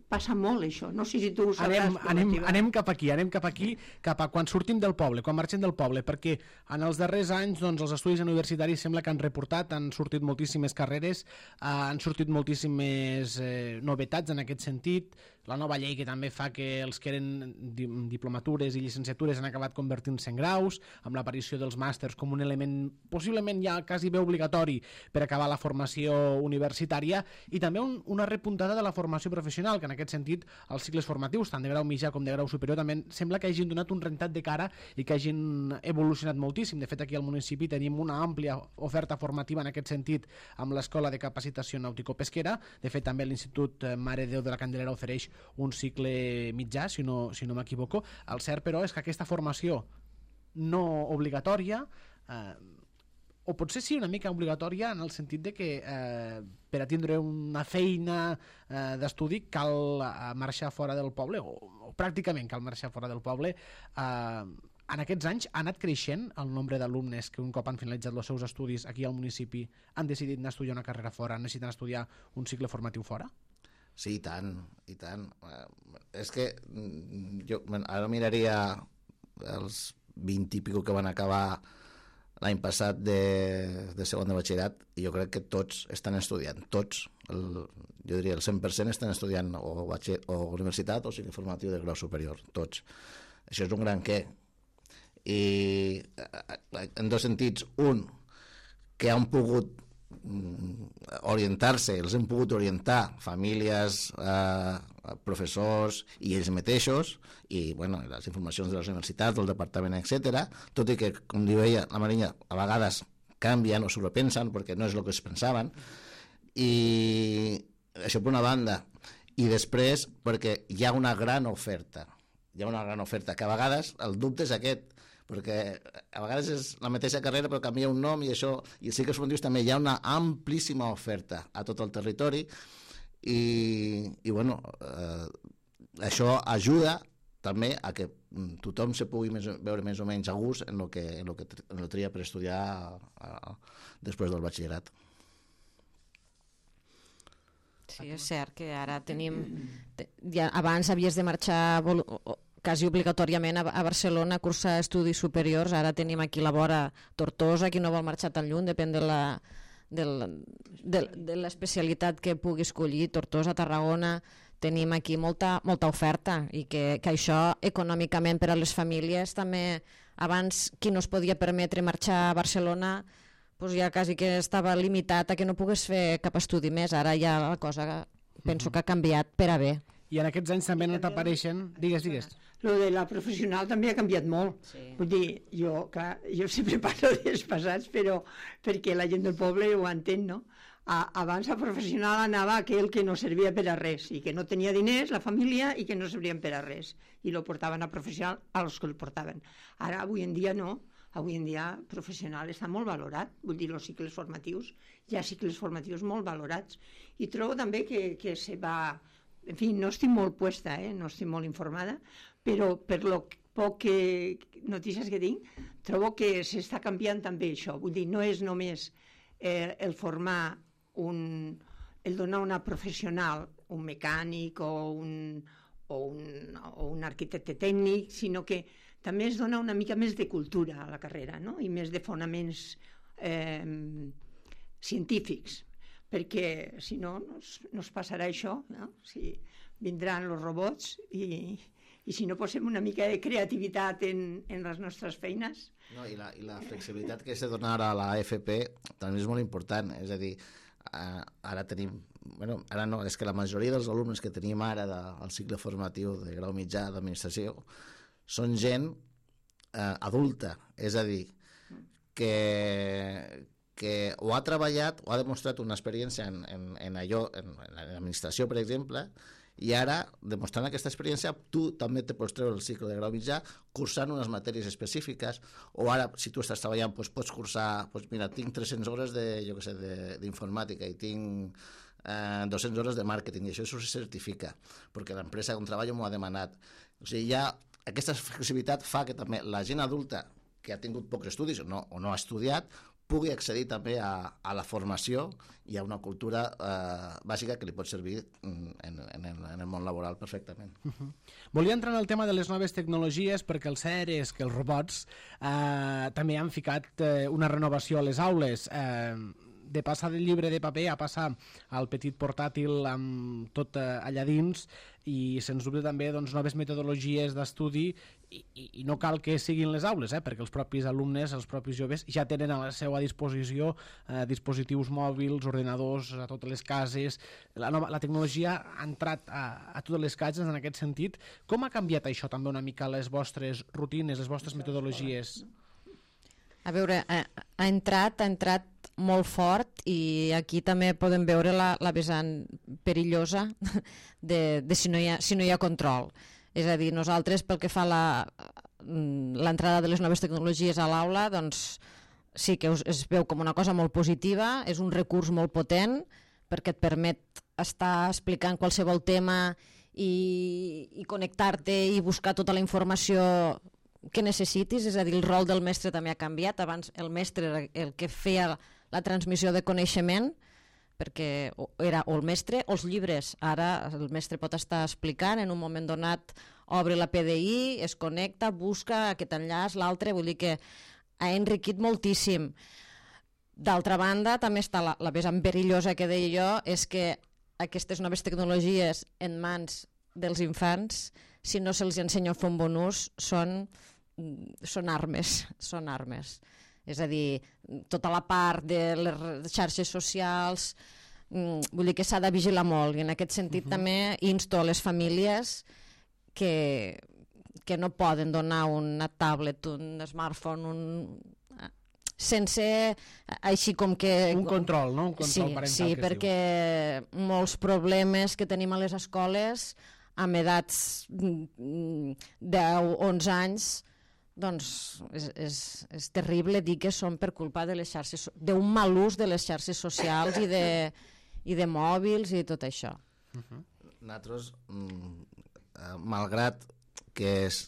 passa molt això. No sé si tu ho sabràs. Anem, anem, anem cap aquí, anem cap aquí, cap a quan sortim del poble, quan marxem del poble, perquè en els darrers anys doncs, els estudis universitaris sembla que han reportat, han sortit moltíssimes carreres, eh, han sortit moltíssimes eh, novetats en aquest sentit, la nova llei que també fa que els que eren diplomatures i llicenciatures han acabat convertint-se en graus, amb l'aparició dels màsters com un element possiblement ja quasi bé obligatori per acabar la formació universitària, i també un, una repuntada de la formació professional, que en aquest sentit els cicles formatius, tant de grau mitjà com de grau superior, també sembla que hagin donat un rentat de cara i que hagin evolucionat moltíssim. De fet, aquí al municipi tenim una àmplia oferta formativa en aquest sentit amb l'Escola de Capacitació Nàutico-Pesquera. De fet, també l'Institut Mare de Déu de la Candelera ofereix un cicle mitjà, si no, si no m'equivoco. El cert, però, és que aquesta formació no obligatòria, eh, o potser sí una mica obligatòria en el sentit de que eh, per a tindre una feina eh, d'estudi cal eh, marxar fora del poble, o, o pràcticament cal marxar fora del poble. Eh, en aquests anys ha anat creixent el nombre d'alumnes que un cop han finalitzat els seus estudis aquí al municipi han decidit anar a estudiar una carrera fora, necessiten estudiar un cicle formatiu fora? Sí, i tant, i tant. Eh, és que jo ara miraria els vint i pico que van acabar l'any passat de, de segon de batxillerat, i jo crec que tots estan estudiant, tots, el, jo diria el cent per cent estan estudiant o, batxiller, o universitat o cicle formatiu de grau superior, tots. Això és un gran què. I en dos sentits. Un, que han pogut orientar-se, els hem pogut orientar famílies, eh, professors i ells mateixos, i bueno, les informacions de les universitats, del departament, etcètera, tot i que, com diu ella, la Marina, a vegades canvien o sobrepensen perquè no és el que es pensaven, i això per una banda. I després perquè hi ha una gran oferta, hi ha una gran oferta, que a vegades el dubte és aquest, perquè a vegades és la mateixa carrera però canvia un nom, i això, i sí que els formatius també hi ha una amplíssima oferta a tot el territori, i, i bueno, eh, això ajuda també a que tothom se pugui més, veure més o menys a gust en el que, en el que en el tria per estudiar a, a, després del batxillerat. Sí, és cert que ara tenim... Ja, abans havies de marxar quasi obligatòriament a, a Barcelona a cursar estudis superiors, ara tenim aquí la vora Tortosa, qui no vol marxar tan lluny, depèn de la, de, de, de l'especialitat que pugui escollir. Tortosa, Tarragona, tenim aquí molta, molta oferta, i que, que això econòmicament per a les famílies també, abans qui no es podia permetre marxar a Barcelona doncs ja quasi que estava limitat a que no pogués fer cap estudi més. Ara ja la cosa penso que ha canviat per a bé. I en aquests anys també han anat apareixent... Digues, digues. Lo de la professional també ha canviat molt. Sí. Vull dir, jo, clar, jo sempre parlo dels passats, però perquè la gent del poble ho entén, no? A, abans a professional anava aquell que no servia per a res, i que no tenia diners, la família, i que no servien per a res. I lo portaven a professional als que el portaven. Ara, avui en dia, no. Avui en dia, professional està molt valorat. Vull dir, els cicles formatius, hi ha cicles formatius molt valorats. I trobo també que, que se va... En fi, no estic molt puesta, eh? No estic molt informada, però per lo poc que notícies que tinc, trobo que s'està canviant també això. Vull dir, no és només eh, el formar un... el donar una professional, un mecànic o un, o un, o un arquitecte tècnic, sinó que també es dona una mica més de cultura a la carrera, no? I més de fonaments eh, científics. perquè si no, no es, no es passarà això, no? Si vindran els robots i, i si no posem una mica de creativitat en, en les nostres feines. No, i, la, I la flexibilitat que s'ha de donar a la F P també és molt important, és a dir, eh, ara tenim, bueno, ara no, és que la majoria dels alumnes que tenim ara del cicle formatiu de grau mitjà d'administració són gent eh, adulta, és a dir, que, que o ha treballat o ha demostrat una experiència en, en, en allò, en, en l'administració, per exemple, i ara, demostrant aquesta experiència, tu també te pots treure el cicle de grau mitjà cursant unes matèries específiques, o ara, si tu estàs treballant, doncs pots cursar, doncs mira, tinc tres-centes hores de, jo què sé, d'informàtica i tinc eh, dues-centes hores de màrqueting, i això s'ho certifica, perquè l'empresa on treballo m'ho ha demanat. O sigui, ja aquesta flexibilitat fa que també la gent adulta que ha tingut pocs estudis o no, o no ha estudiat pugui accedir també a, a la formació i a una cultura eh, bàsica que li pot servir en, en, en, en el món laboral perfectament. Uh-huh. Volia entrar en el tema de les noves tecnologies perquè el cert és que els robots eh, també han ficat eh, una renovació a les aules. Eh, de passar del llibre de paper a passar al petit portàtil amb tot eh, allà dins, i sens dubte també doncs, noves metodologies d'estudi, i, i, i no cal que siguin les aules, eh, perquè els propis alumnes, els propis joves ja tenen a la seva disposició eh, dispositius mòbils, ordenadors a totes les cases. La, nova, la tecnologia ha entrat a, a totes les cases en aquest sentit. Com ha canviat això també una mica les vostres rutines, les vostres metodologies? A veure, ha, ha entrat, ha entrat molt fort, i aquí també podem veure la, la vessant perillosa de, de si, no hi ha, si no hi ha control. És a dir, nosaltres, pel que fa a l'entrada de les noves tecnologies a l'aula, doncs sí que es, es veu com una cosa molt positiva, és un recurs molt potent perquè et permet estar explicant qualsevol tema i, i connectar-te i buscar tota la informació que necessitis. És a dir, el rol del mestre també ha canviat. Abans el mestre era el que feia la transmissió de coneixement, perquè era o el mestre o els llibres. Ara el mestre pot estar explicant, en un moment donat obre la P D I, es connecta, busca aquest enllaç, l'altre, vull dir que ha enriquit moltíssim. D'altra banda, també està la, la vessant perillosa que deia jo, és que aquestes noves tecnologies en mans dels infants, si no se'ls ensenya a fer un bon ús, són, són armes, són armes. És a dir, tota la part de les xarxes socials, vull dir que s'ha de vigilar molt, i en aquest sentit uh-huh. també insto a les famílies que, que no poden donar una tablet, un smartphone, un... sense així com que... Un control, no? Un control sí, parental. Sí, perquè diu. Molts problemes que tenim a les escoles amb edats deu, onze anys, doncs és, és, és terrible dir que són per culpa de les xarxes, d'un mal ús de les xarxes socials i de, i de mòbils i tot això. Uh-huh. Nosaltres, malgrat que és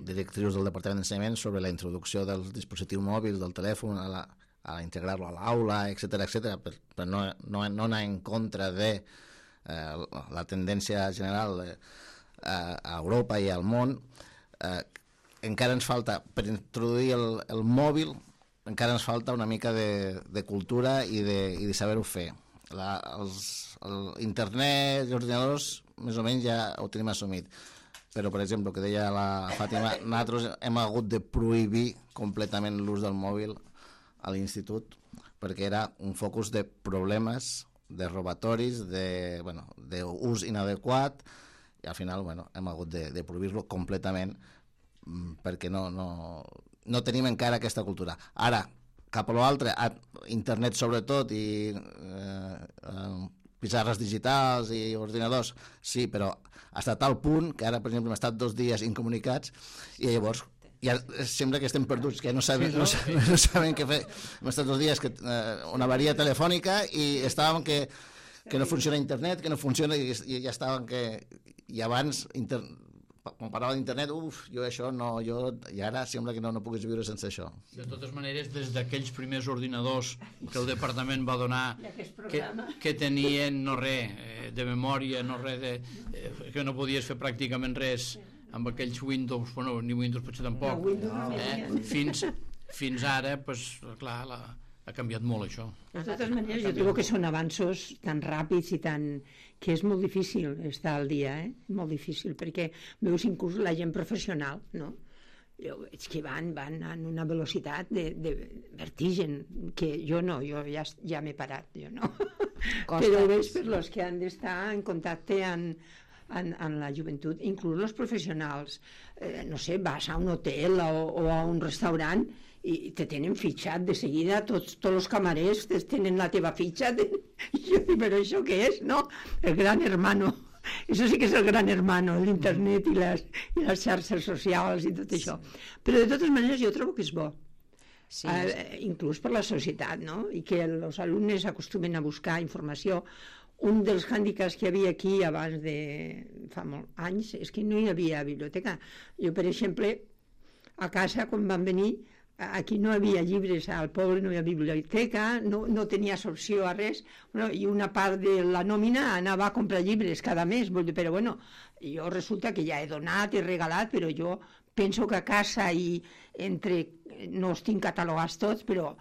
directrius del Departament d'Ensenyament sobre la introducció dels dispositius mòbils, del telèfon, a, la, a integrar-lo a l'aula, etcètera, etcètera, per, per no, no, no anar en contra de eh, la tendència general eh, a Europa i al món, eh, encara ens falta, per introduir el, el mòbil, encara ens falta una mica de, de cultura i de, i de saber-ho fer. La, els, el internet i els ordinadors més o menys ja ho tenim assumit, però per exemple, que deia la Fàtima, nosaltres hem hagut de prohibir completament l'ús del mòbil a l'institut perquè era un focus de problemes, de robatoris, de, bueno, d'ús inadequat, i al final bueno, hem hagut de, de prohibir-lo completament perquè no, no, no tenim encara aquesta cultura. Ara, cap a l'altre, internet sobretot i eh, eh, pissarres digitals i ordinadors, sí, però fins a tal punt que ara, per exemple, hem estat dos dies incomunicats i llavors ja sembla que estem perduts, que no sabem, no, no, no sabem què fer. Hem estat dos dies que, eh, una avaria telefònica i estàvem que, que no funciona internet, que no funciona, i, i ja estàvem que... I abans... Inter... quan parlava d'internet, uf, jo això no, jo, i ara sembla que no, no puguis viure sense això. De totes maneres, des d'aquells primers ordinadors que el departament va donar, que, que tenien no res de memòria, no res de, eh, que no podies fer pràcticament res amb aquells Windows, bueno, ni Windows potser tampoc, eh? fins, fins ara, pues, clar, la, ha canviat molt això. De totes maneres, jo trobo que són avanços tan ràpids i tan... que és molt difícil estar al dia, eh? Molt difícil, perquè veus inclús la gent professional, no? Jo veig que van, van en una velocitat de, de vertigen, que jo no, jo ja, ja m'he parat, jo no. Costa. Però ho veig per los que han d'estar en contacte amb, en, en la joventut, inclús els professionals. Eh, no sé, vas a un hotel o, o a un restaurant i te tenen fitxat de seguida, tots, tots els camarers tenen la teva fitxa, de... i jo dic, però això què és, no? El gran hermano, això sí que és el gran hermano, l'internet i les, i les xarxes socials i tot això. Però de totes maneres jo trobo que és bo, sí. eh, inclús per la societat, no? I que els alumnes acostumen a buscar informació. Un dels hàndicaps que hi havia aquí abans de fa molts anys és que no hi havia biblioteca. Jo, per exemple, a casa, quan van venir, aquí no hi havia llibres, al poble no hi havia biblioteca, no, no tenies opció a res, bueno, i una part de la nòmina anava a comprar llibres cada mes, però bueno, jo resulta que ja he donat, he regalat, però jo penso que a casa i entre, no els tinc catalogats tots, però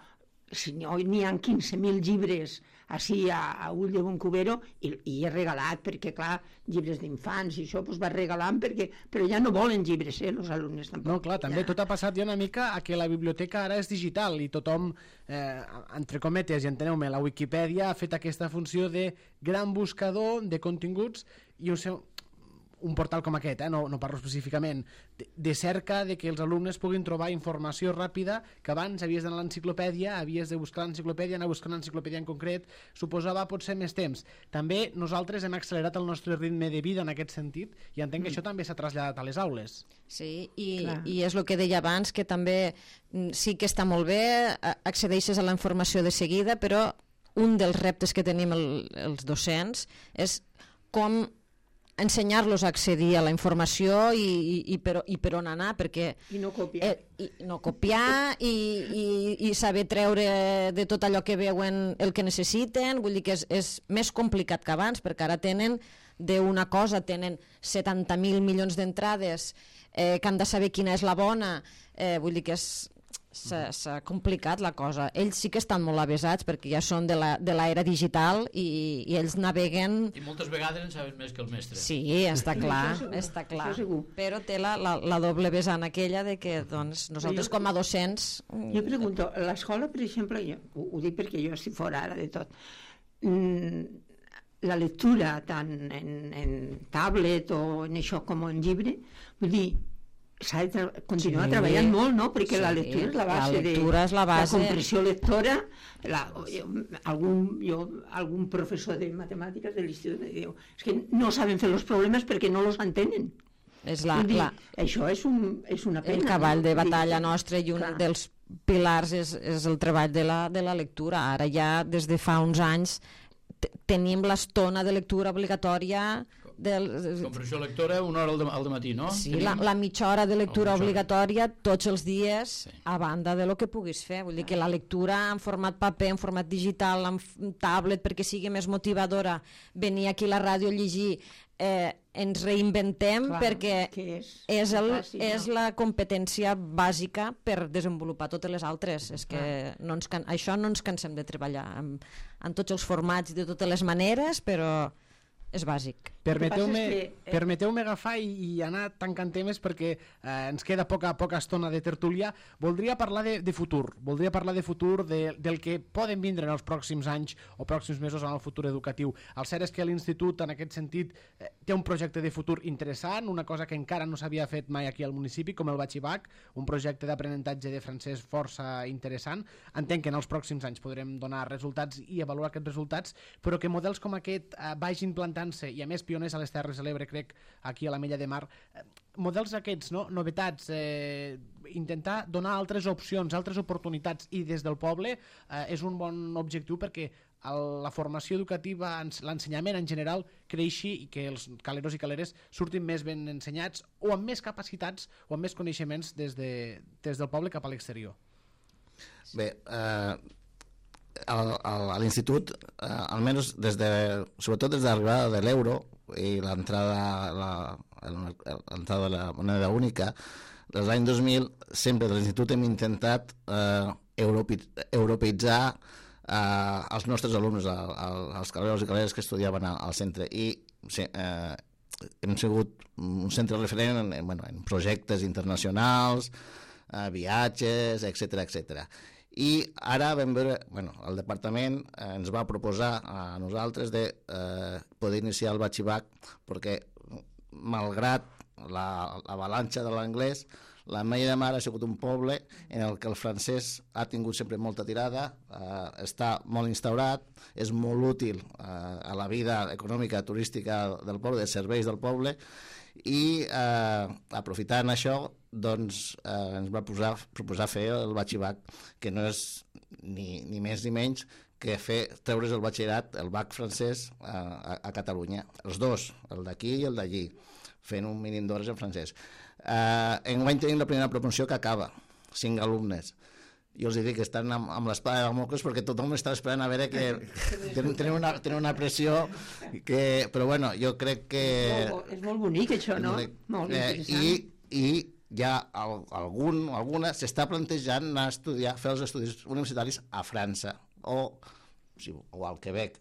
si no n'hi ha quinze mil llibres així a, a ull de bon cubero i, i he regalat, perquè clar, llibres d'infants i això pues, va regalant, perquè, però ja no volen llibres, eh, els alumnes tampoc. No, clar, també ja. Tot ha passat ja una mica a que la biblioteca ara és digital i tothom, eh, entre cometes, i enteneu-me, la Wikipedia ha fet aquesta funció de gran buscador de continguts i un seu... un portal com aquest, eh? no, no parlo específicament, de, de cerca de que els alumnes puguin trobar informació ràpida, que abans havies d'anar a l'enciclopèdia, havies de buscar l'enciclopèdia, anar a buscar una enciclopèdia en concret, suposava potser més temps. També nosaltres hem accelerat el nostre ritme de vida en aquest sentit i entenc que mm. això també s'ha traslladat a les aules. Sí, i, i és el que deia abans, que també sí que està molt bé, accedeixes a la informació de seguida, però un dels reptes que tenim el, els docents és com ensenyar-los a accedir a la informació i, i, i, per, i per on anar, perquè... I no copiar. Eh, i no copiar i, i, i saber treure de tot allò que veuen el que necessiten, vull dir que és, és més complicat que abans, perquè ara tenen d'una cosa, tenen setanta mil milions d'entrades, eh, que han de saber quina és la bona, eh, vull dir que és... s'ha complicat la cosa. Ells sí que estan molt avesats perquè ja són de l'era digital i, i ells naveguen... I moltes vegades en saben més que el mestre. Sí, està clar, està clar. Però té la, la, la doble vessant aquella de que doncs, nosaltres jo, com a docents... Jo pregunto, l'escola, per exemple, jo, ho, ho dic perquè jo estic fora ara de tot, mm, la lectura tant en, en tablet o en això com en llibre, vull dir, s'ha de tra continuar sí. treballant molt, no? Perquè sí. la lectura és la base, la lectura és la, base. la comprensió lectora. La, jo, algun, jo, algun professor de matemàtiques de l'institut diu és que no saben fer els problemes perquè no els entenen. És la, dir, la, això és, un, és una pena. El cavall no? de batalla nostre i un Clar. dels pilars és, és el treball de la, de la lectura. Ara ja, des de fa uns anys, tenim l'estona de lectura obligatòria del... Comprensió lectora una hora al dematí, no? Sí, la, la mitja hora de lectura obligatòria tots els dies, sí. a banda de lo que puguis fer. Vull dir que la lectura en format paper, en format digital, en tablet, perquè sigui més motivadora, venir aquí a la ràdio a llegir, eh, ens reinventem Clar, perquè és, és, el, fàcil, és no? la competència bàsica per desenvolupar totes les altres. És que no ens can... això no ens cansem de treballar en, en tots els formats i de totes les maneres, però és bàsic. Permeteu-me que... permeteu-me agafar i, i anar tancant temes perquè eh, ens queda poca, poca estona de tertúlia. Voldria parlar de, de futur, voldria parlar de futur, de, del que poden vindre en els pròxims anys o pròxims mesos en el futur educatiu. El cert és que l'Institut, en aquest sentit, eh, té un projecte de futur interessant, una cosa que encara no s'havia fet mai aquí al municipi, com el Batxibac, un projecte d'aprenentatge de francès força interessant. Entenc que en els pròxims anys podrem donar resultats i avaluar aquests resultats, però que models com aquest eh, vagin plantant-se, i a més pioners a les Terres de l'Ebre, crec, aquí a l'Ametlla de Mar, eh, models aquests, no? novetats, eh, intentar donar altres opcions, altres oportunitats, i des del poble eh, és un bon objectiu perquè el, la formació educativa, l'ensenyament en general, creixi i que els caleros i caleres surtin més ben ensenyats o amb més capacitats o amb més coneixements des, de, des del poble cap a l'exterior. Bé, eh... a l'institut, eh, almenys des de, sobretot des de l'arribada de l'euro i l'entrada la, l'entrada de la moneda única, des de l'any dos mil, sempre de l'institut hem intentat eh, europe, europeitzar eh, els nostres alumnes, el, el, els caleros i caleres que estudiaven al, al centre, i eh, hem sigut un centre referent en, bueno, en projectes internacionals, eh, viatges, etcètera, etcètera. I ara vam veure, bueno, el departament eh, ens va proposar a nosaltres de eh, poder iniciar el batxibac, perquè malgrat l'avalanxa de l'anglès, la Ametlla de Mar ha sigut un poble en el que el francès ha tingut sempre molta tirada, eh, està molt instaurat, és molt útil eh, a la vida econòmica, turística del poble, de serveis del poble, i eh, aprofitant això, doncs eh, ens va posar, proposar fer el batxibac, que no és ni, ni més ni menys que fer, treure's el batxillerat, el bac francès eh, a, a Catalunya, els dos, el d'aquí i el d'allí, fent un mínim d'hores en francès. Eh, enguany tenim la primera promoció que acaba, cinc alumnes. Jo els dic que estan amb, amb l'espada de Damocles perquè tothom està esperant a veure que tenen, tenen, una, tenen una pressió que, però bueno, jo crec que és molt, és molt bonic això, no? Eh, molt interessant. i, i ja el, algun, alguna s'està plantejant anar a estudiar, fer els estudis universitaris a França o, o al Quebec.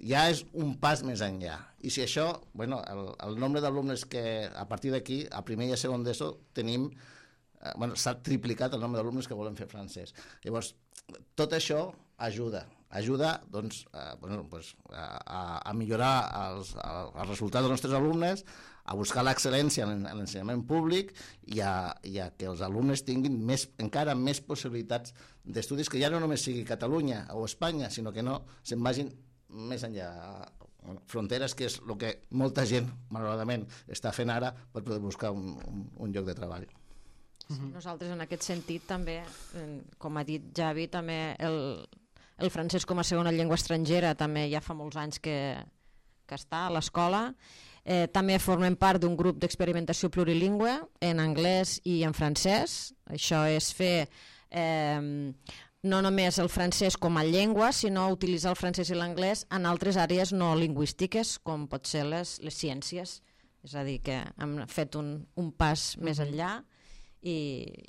Ja és un pas més enllà. I si això, bueno, el, el nombre d'alumnes que a partir d'aquí, a primer i a segon d'ESO, tenim, eh, bueno, s'ha triplicat el nombre d'alumnes que volen fer francès. Llavors, tot això ajuda, ajuda doncs, eh, bueno, pues, a, a millorar els, els resultats dels nostres alumnes, a buscar l'excel·lència en l'ensenyament públic i a, i a que els alumnes tinguin més, encara més possibilitats d'estudis, que ja no només sigui Catalunya o Espanya, sinó que no se'n vagin més enllà, fronteres, que és el que molta gent, malauradament, està fent ara per poder buscar un, un, un lloc de treball. Sí, nosaltres en aquest sentit també, com ha dit Javi, també el, el francès com a segona llengua estrangera també ja fa molts anys que, que està a l'escola. Eh, també formem part d'un grup d'experimentació plurilingüe en anglès i en francès. Això és fer eh, no només el francès com a llengua, sinó utilitzar el francès i l'anglès en altres àrees no lingüístiques, com pot ser les, les ciències. És a dir, que hem fet un, un pas mm-hmm. més enllà i,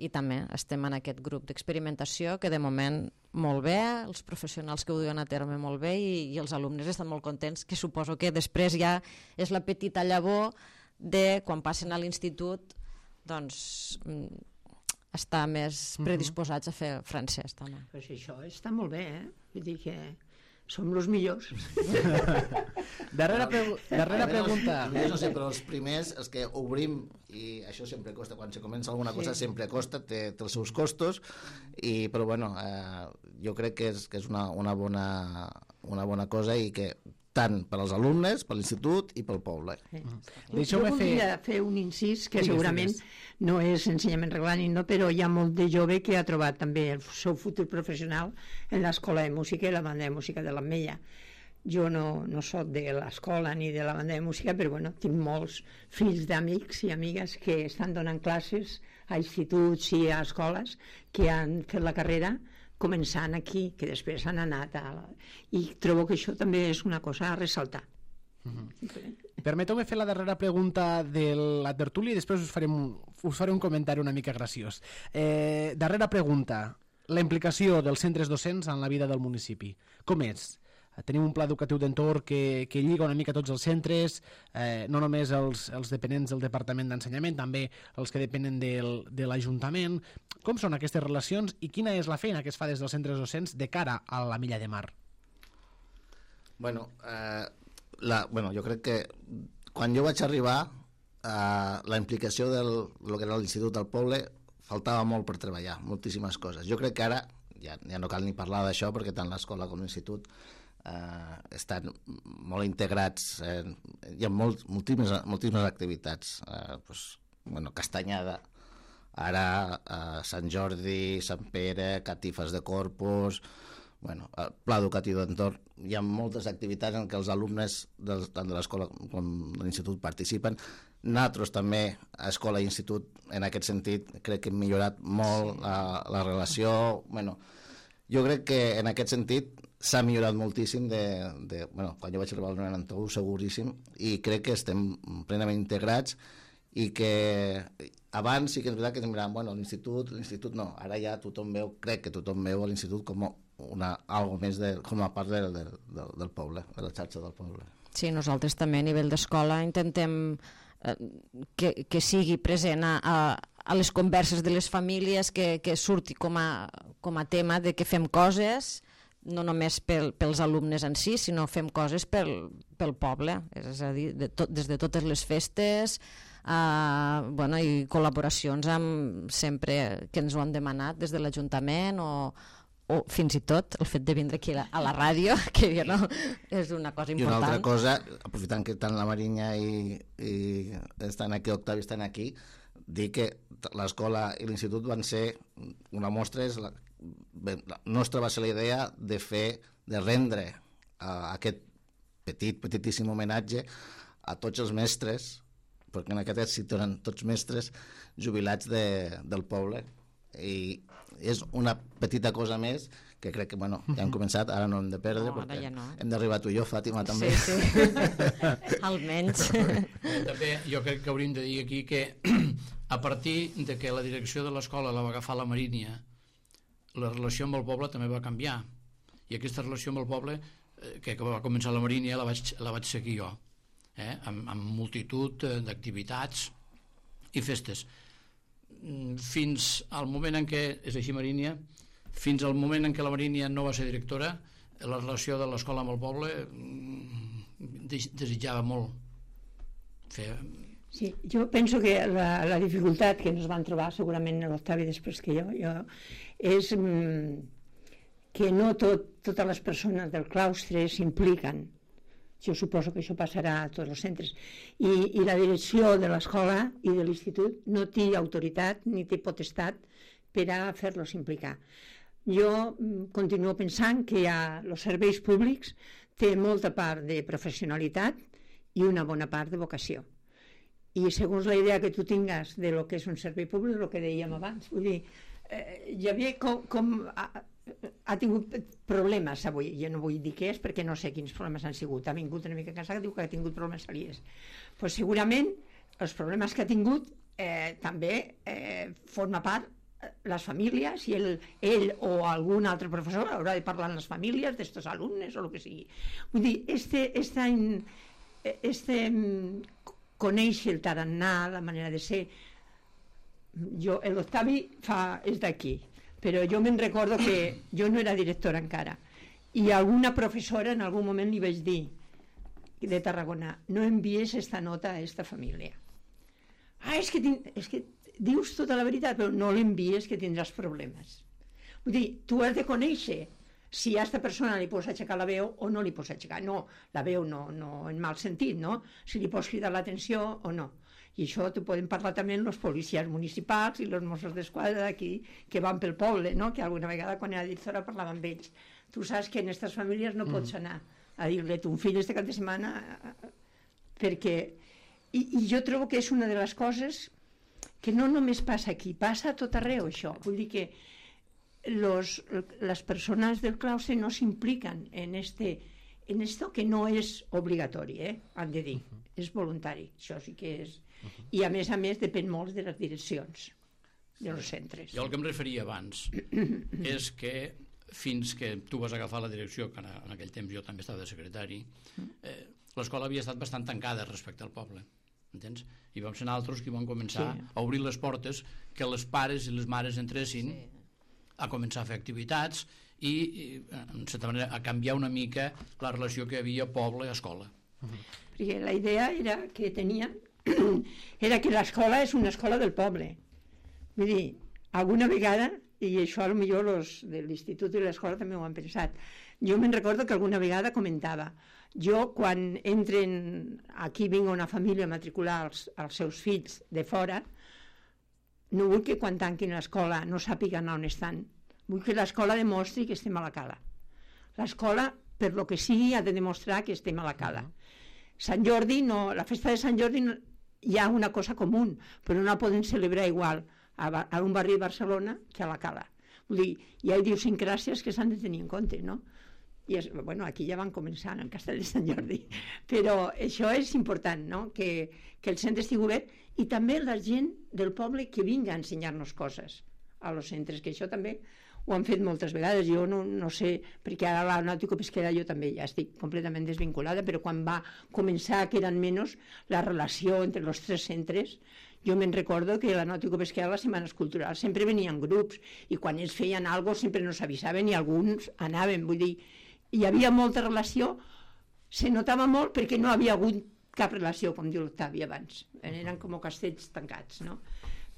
i també estem en aquest grup d'experimentació que de moment molt bé, els professionals que ho duen a terme molt bé i, i els alumnes estan molt contents, que suposo que després ja és la petita llavor de quan passen a l'institut, doncs estar més predisposats a fer francès també. Pues això està molt bé, eh? Vull dir que som els millors. darrera pregu darrera pregunta. Els, no sé, però els primers, els que obrim, i això sempre costa, quan se comença alguna cosa sí. sempre costa, té, té els seus costos, i, però bueno, eh, jo crec que és, que és una, una, bona, una bona cosa i que tant per als alumnes, per l'institut i pel poble. Sí. Mm. Jo voldria fer... fer un incís que sí, segurament sí, no és ensenyament reglament, no, però hi ha molt de jove que ha trobat també el seu futur professional en l'escola de música i la banda de música de l'Ametlla. Jo no, no soc de l'escola ni de la banda de música, però bueno, tinc molts fills d'amics i amigues que estan donant classes a instituts i a escoles que han fet la carrera començant aquí, que després han anat a... i trobo que això també és una cosa a ressaltar. Mm-hmm. Permeteu-me fer la darrera pregunta de la tertúlia i després us, farem, us faré un comentari una mica graciós. Eh, darrera pregunta, la implicació dels centres docents en la vida del municipi. Com és? Tenim un pla educatiu d'entorn que, que lliga una mica tots els centres, eh, no només els, els dependents del Departament d'Ensenyament, també els que depenen del, de l'Ajuntament. Com són aquestes relacions i quina és la feina que es fa des dels centres docents de cara a l'Ametlla de Mar? Bueno, eh, la, bueno, jo crec que quan jo vaig arribar, eh, la implicació del lo que era l'Institut del Poble faltava molt per treballar, moltíssimes coses. Jo crec que ara, ja, ja no cal ni parlar d'això, perquè tant l'escola com l'institut eh, estan molt integrats, eh, hi ha molt, moltíssimes, moltíssimes activitats, eh, pues, bueno, Castanyada, ara eh, Sant Jordi, Sant Pere, catifes de Corpus, bueno, el pla educatiu d'entorn, hi ha moltes activitats en què els alumnes del, tant de l'escola com de l'institut participen. Nosaltres també, a escola i institut, en aquest sentit, crec que hem millorat molt la, la relació. Bueno, jo crec que en aquest sentit s'ha millorat moltíssim de, de, bueno, quan jo vaig arribar al noranta-u, seguríssim, i crec que estem plenament integrats i que abans sí que és veritat que es miraven, bueno, l'institut, l'institut no, ara ja tothom veu, crec que tothom veu l'institut com una, algo més de, com a part del, del, del poble, de la xarxa del poble. Sí, nosaltres també a nivell d'escola intentem eh, que, que sigui present a, a, a les converses de les famílies, que, que surti com a, com a tema de que fem coses, no només pel, pels alumnes en si, sinó fem coses pel, pel poble, és a dir, de tot, des de totes les festes, uh, bueno, i col·laboracions amb sempre que ens ho han demanat des de l'Ajuntament o, o fins i tot el fet de vindre aquí a la, a la ràdio, que jo no, és una cosa important. I una altra cosa, aprofitant que tant la Marinya i, i estan aquí, Octavi estan aquí, dir que l'escola i l'institut van ser una mostra, és la, la nostra va ser la idea de fer, de rendre uh, aquest petit, petitíssim homenatge a tots els mestres, perquè en aquest èxit eren tots mestres jubilats de, del poble, i és una petita cosa més que crec que, bueno, ja hem començat, ara no hem de perdre, no, perquè ja no. hem d'arribar tu i jo, Fàtima, també. Sí, sí. Almenys. També jo crec que hauríem de dir aquí que a partir de que la direcció de l'escola la va agafar la Marínia, la relació amb el poble també va canviar, i aquesta relació amb el poble eh, que va començar la Marínia la vaig, la vaig seguir jo, eh? amb, amb multitud d'activitats i festes, fins al moment en què, és així Marínia, fins al moment en què la Marínia no va ser directora, la relació de l'escola amb el poble desitjava molt fer... Sí, jo penso que la, la dificultat que ens van trobar segurament l'Octavi després que jo, jo és mm, que no tot, totes les persones del claustre s'impliquen. Jo suposo que això passarà a tots els centres. I, i la direcció de l'escola i de l'institut no té autoritat ni té potestat per a fer-los implicar. Jo mm, continuo pensant que hi ha els serveis públics té molta part de professionalitat i una bona part de vocació. I segons la idea que tu tingues de lo que és un servei públic, el que dèiem abans, vull dir, eh, ja ve com, com ha, ha tingut problemes avui, jo no vull dir què és perquè no sé quins problemes han sigut, ha vingut una mica cansat, diu que ha tingut problemes aliers. Pues segurament els problemes que ha tingut eh, també eh, forma part les famílies i el, ell o algun altre professor haurà de parlar amb les famílies d'estos alumnes o el que sigui. Vull dir, este, esta, este conèixer el tarannà, la manera de ser. Jo, l'Octavi fa, és d'aquí, però jo me'n recordo que jo no era directora encara, i alguna professora en algun moment li vaig dir de Tarragona, no envies esta nota a esta família. Ah, és que, és que dius tota la veritat, però no l'envies que tindràs problemes. Vull dir, tu has de conèixer si a aquesta persona li pots aixecar la veu o no li pots aixecar. No, la veu no, no en mal sentit, no? Si li pots cridar l'atenció o no. I això t'ho poden parlar també els policies municipals i els Mossos d'Esquadra d'aquí que van pel poble, no? Que alguna vegada quan era directora parlava amb ells. Tu saps que en aquestes famílies no pots anar a dir-li a ton fill este cap de setmana perquè... I, I jo trobo que és una de les coses que no només passa aquí, passa a tot arreu això. Vull dir que Los, las personas del claustre no s'impliquen en, este, en esto que no és obligatori, eh? Han de dir, uh-huh. És voluntari, això sí que és. Uh-huh. I a més a més depèn molt de les direccions dels centres. Jo el que em referia abans és que fins que tu vas agafar la direcció, que en aquell temps jo també estava de secretari, eh, l'escola havia estat bastant tancada respecte al poble, entens? I vam ser altres que vam començar sí. a obrir les portes, que les pares i les mares entressin sí. a començar a fer activitats i, i en certa manera, a canviar una mica la relació que hi havia poble-escola. Uh-huh. Perquè la idea era que tenien era que l'escola és una escola del poble. Vull dir, alguna vegada, i això a lo millor els de l'institut i l'escola també ho han pensat, jo me'n recordo que alguna vegada comentava, jo quan entren, aquí vinc una família a matricular els, els seus fills de fora, no vull que quan tanquin l'escola no sàpiguen on estan. Vull que l'escola demostri que estem a la cala. L'escola, per lo que sigui, ha de demostrar que estem a la cala. Sant Jordi, no, la festa de Sant Jordi no, hi ha una cosa comú, però no la poden celebrar igual a, a un barri de Barcelona que a la cala. Vull dir, hi ha idiosincràsies que s'han de tenir en compte, no? I és, bueno, aquí ja van començar en el Castell de Sant Jordi, però això és important, no? que, que el centre estigui obert i també la gent del poble que vinga a ensenyar-nos coses a los centres, que això també ho han fet moltes vegades. Jo no, no sé, perquè ara la nàutico-pesquera jo també ja estic completament desvinculada, però quan va començar, que eren menys, la relació entre els tres centres, jo me'n recordo que la nàutico-pesquera, les setmanes culturals, sempre venien grups, i quan ells feien alguna cosa sempre no s'avisaven i alguns anaven, vull dir, hi havia molta relació, se notava molt perquè no havia hagut cap relació, com diu l'Octavi abans, eren com castells tancats, no?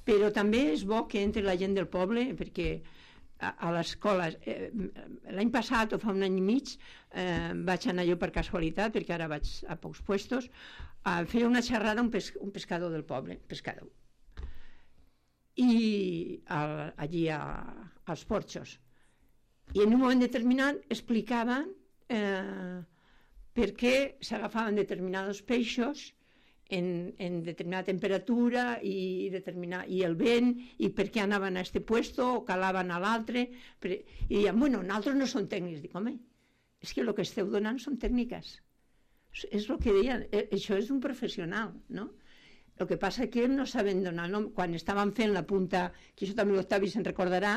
Però també és bo que entre la gent del poble, perquè a, a l'escola, eh, l'any passat o fa un any i mig, eh, vaig anar jo per casualitat, perquè ara vaig a pocs puestos, a fer una xerrada a un, pes, un pescador del poble, pescador, i al, allí a, als porxos. I en un moment determinat explicaven eh, per què s'agafaven determinats peixos en, en determinada temperatura i, determinar, i el vent, i per què anaven a este puesto o calaven a l'altre, i diuen, bueno, nosaltres no som tècnics. Dic, home, és que el que esteu donant són tècniques. És el que deien, això és un professional, no? El que passa és que no saben donar nom. Quan estaven fent la punta, que això també l'Octavi se'n recordarà,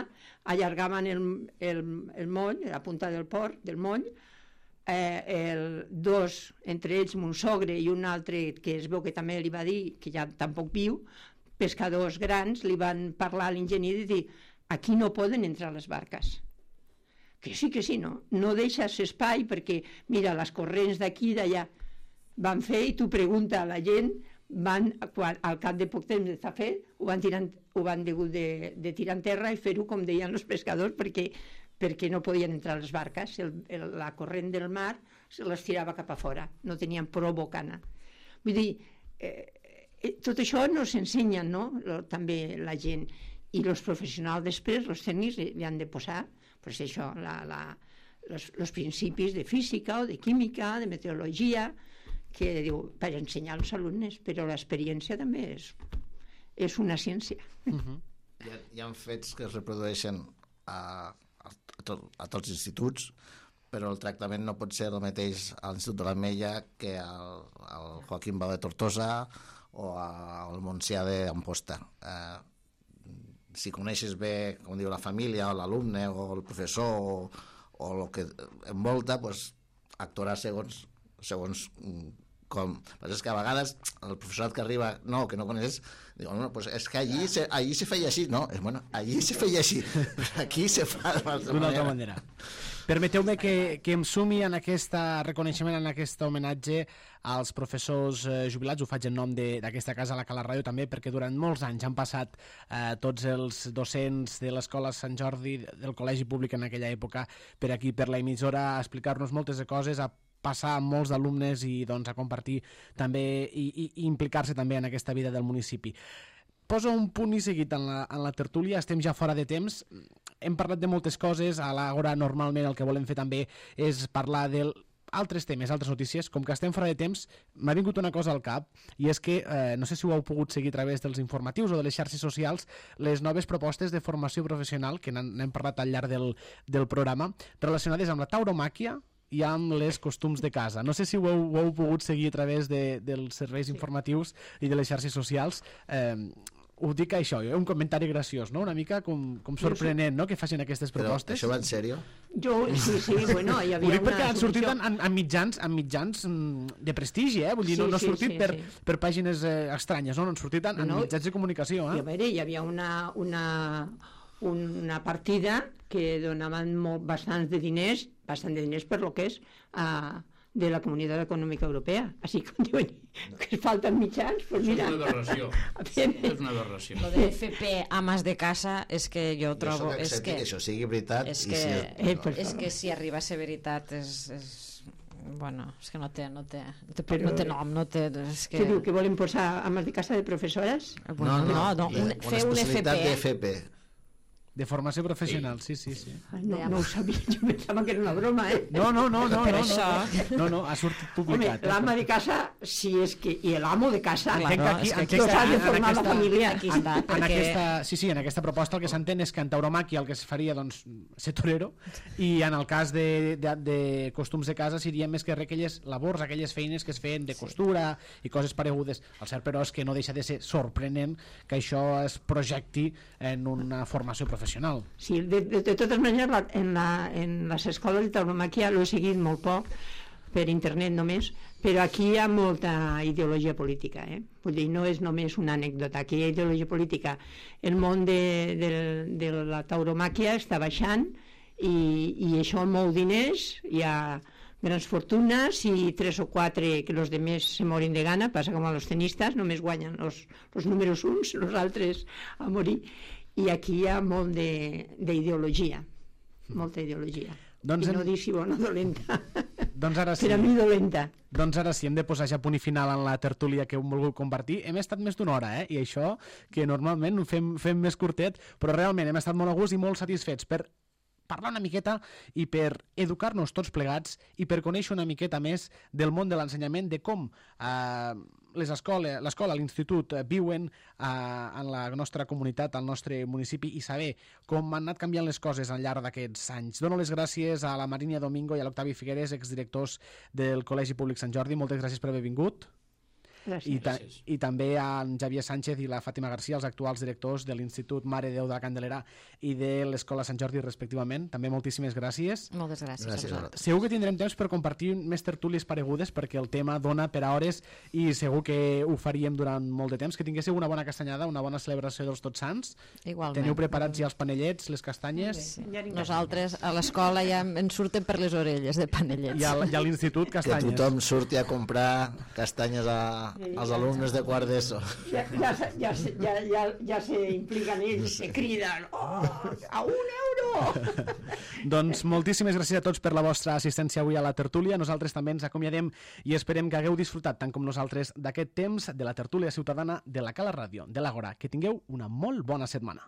allargaven el, el, el moll, la punta del port, del moll, eh, el, dos, entre ells mon sogre i un altre que es veu que també li va dir, que ja tampoc viu, pescadors grans, li van parlar a l'enginyer i dir, aquí no poden entrar les barques. Que sí, que sí, no? No deixes espai perquè, mira, les corrents d'aquí i d'allà van fer i tu pregunta a la gent, van, quan, al cap de poc temps d'estar fet, ho van, tirar, ho van degut de, de tirar en terra i fer-ho com deien els pescadors perquè, perquè no podien entrar les barques, el, el, la corrent del mar se les tirava cap a fora, no tenien prou bocana. Vull dir, eh, eh, tot això no s'ensenya, no? Lo, també la gent, i els professionals després, els tècnics, li, li han de posar pues això, la, la, los, los principis de física o de química, de meteorologia, que diu, per ensenyar als alumnes, però l'experiència també és, és una ciència. Uh-huh. hi, ha, hi ha fets que es reprodueixen a, a, a, to, a tots els instituts, però el tractament no pot ser el mateix a l'Institut de l'Ametlla que al, al Joaquim Bau de Tortosa o al Montsià d'Amposta. Eh, si coneixes bé, com diu, la família o l'alumne o el professor o, o el que envolta, pues, actuarà segons segons com. Però és que a vegades el professorat que arriba, no, que no coneixes, diu, no, pues és que allí se, allí se feia així, no, és, bueno, allí se feia així, però aquí se fa d'una altra manera. Permeteu-me que, que em sumi en aquest reconeixement, en aquest homenatge als professors eh, jubilats. Ho faig en nom d'aquesta casa, la Cala Ràdio, també, perquè durant molts anys han passat eh, tots els docents de l'Escola Sant Jordi, del Col·legi Públic en aquella època, per aquí, per la emissora, a explicar-nos moltes de coses, a passar amb molts alumnes i doncs, a compartir també i, i, i implicar-se també en aquesta vida del municipi. Poso un punt i seguit en la, en la tertúlia, estem ja fora de temps, hem parlat de moltes coses, a l'Àgora normalment el que volem fer també és parlar d'altres temes, altres notícies. Com que estem fora de temps, m'ha vingut una cosa al cap, i és que, eh, no sé si ho heu pogut seguir a través dels informatius o de les xarxes socials, les noves propostes de formació professional, que n'hem parlat al llarg del, del programa, relacionades amb la tauromàquia i amb les costums de casa. No sé si ho heu, ho heu pogut seguir a través de, dels serveis sí. informatius i de les xarxes socials. Eh, ho dic això, eh? Un comentari graciós, no? Una mica com, com sorprenent, no?, que facin aquestes propostes. Però això va en sèrio? Jo, sí, sí, bueno, hi havia ho dic una perquè han sortit solució. en, en, en, mitjans, en mitjans de prestigi, eh? Vull dir, sí, no, no ha sortit sí, sí, per, sí. per pàgines eh, estranyes, no? No han sortit en, en no, mitjans de comunicació, eh? I a veure, hi havia una, una, una partida que donaven molt, bastants de diners, bastant de diners per lo que és uh, de la Comunitat Econòmica Europea. Així que diuen que falten mitjans, pues mira. Això és una aberració. És una aberració. Lo de F P amas de casa és que jo trobo... Jo és que, que això sigui veritat. És i que, si, eh, no, és que si arriba a ser veritat és... és bueno, és que no té, no té, no té, Però, no té nom, no té... És que... Què diu, que volen posar amas de casa de professores? Bueno, no, no, no, un, una fer un F P. especialitat de F P. De formació professional, sí, sí, sí. Ai, no, no ho sabia, jo pensava que era una broma, eh? No, no, no, no, Per no, això. no, no, no, ha sortit Home, publicat. l'ama de casa, sí, és que... I l'amo de casa. Entenc que aquí, és que aquí no s'ha de en formar la aquesta- família. Aquí està, En perquè... aquesta, sí, sí, en aquesta proposta el que s'entén és que en tauromàquia el que es faria, doncs, ser torero, i en el cas de, de, de costums de casa serien més que res aquelles labors, aquelles feines que es feien de costura i coses paregudes. El cert, però, és que no deixa de ser sorprenent que això es projecti en una formació professional. Sí, de, de, de totes maneres, la, en, la, en les escoles de tauromàquia l'he seguit molt poc, per internet només, però aquí hi ha molta ideologia política, eh? Vull dir, no és només una anècdota, aquí hi ha ideologia política. El món de, de, de la tauromàquia està baixant i, i això mou diners, hi ha grans fortunes i tres o quatre que els demés se morin de gana, passa com a los tenistes, només guanyen els, els números uns, els altres a morir. I aquí hi ha molt d'ideologia, molta ideologia. Doncs I no hem- dir si bona o dolenta. Doncs ara sí. Per a mi dolenta. Doncs ara sí, hem de posar ja punt i final en la tertúlia que hem volgut compartir. Hem estat més d'una hora, eh? I això, que normalment ho fem, fem més curtet, però realment hem estat molt a gust i molt satisfets per parlar una miqueta i per educar-nos tots plegats i per conèixer una miqueta més del món de l'ensenyament, de com eh, les escoles, l'escola, l'institut eh, viuen eh, en la nostra comunitat, al nostre municipi, i saber com han anat canviant les coses al llarg d'aquests anys. Dono les gràcies a la Marínia Domingo i a l'Octavi Figueres, exdirectors del Col·legi Públic Sant Jordi. Moltes gràcies per haver vingut. Gràcies. I, ta Gràcies. I també a en Xavier Sánchez i la Fàtima Garcia, els actuals directors de l'Institut Mare de Déu de la Candelera i de l'Escola Sant Jordi, respectivament. També moltíssimes gràcies. Moltes gràcies, Gràcies a a vosaltres. vosaltres. Segur que tindrem temps per compartir més tertúlies paregudes, perquè el tema dona per a hores i segur que ho faríem durant molt de temps. Que tinguéssiu una bona castanyada, una bona celebració dels Tots Sants. Igualment. Teniu preparats ja els panellets, les castanyes, Sí. Ja n'hi ha. Nosaltres a l'escola ja ens surten per les orelles de panellets. i a, i a l'institut Que castanyes. tothom surti a comprar castanyes a, als alumnes de quart d'ESO. Ja, ja, se- ja, se- ja, ja, ja se impliquen ells, se criden, oh, a un euro! Doncs moltíssimes gràcies a tots per la vostra assistència avui a la tertúlia. Nosaltres també ens acomiadem i esperem que hagueu disfrutat, tant com nosaltres, d'aquest temps de la tertúlia ciutadana de la Cala Ràdio, de l'Àgora. Que tingueu una molt bona setmana.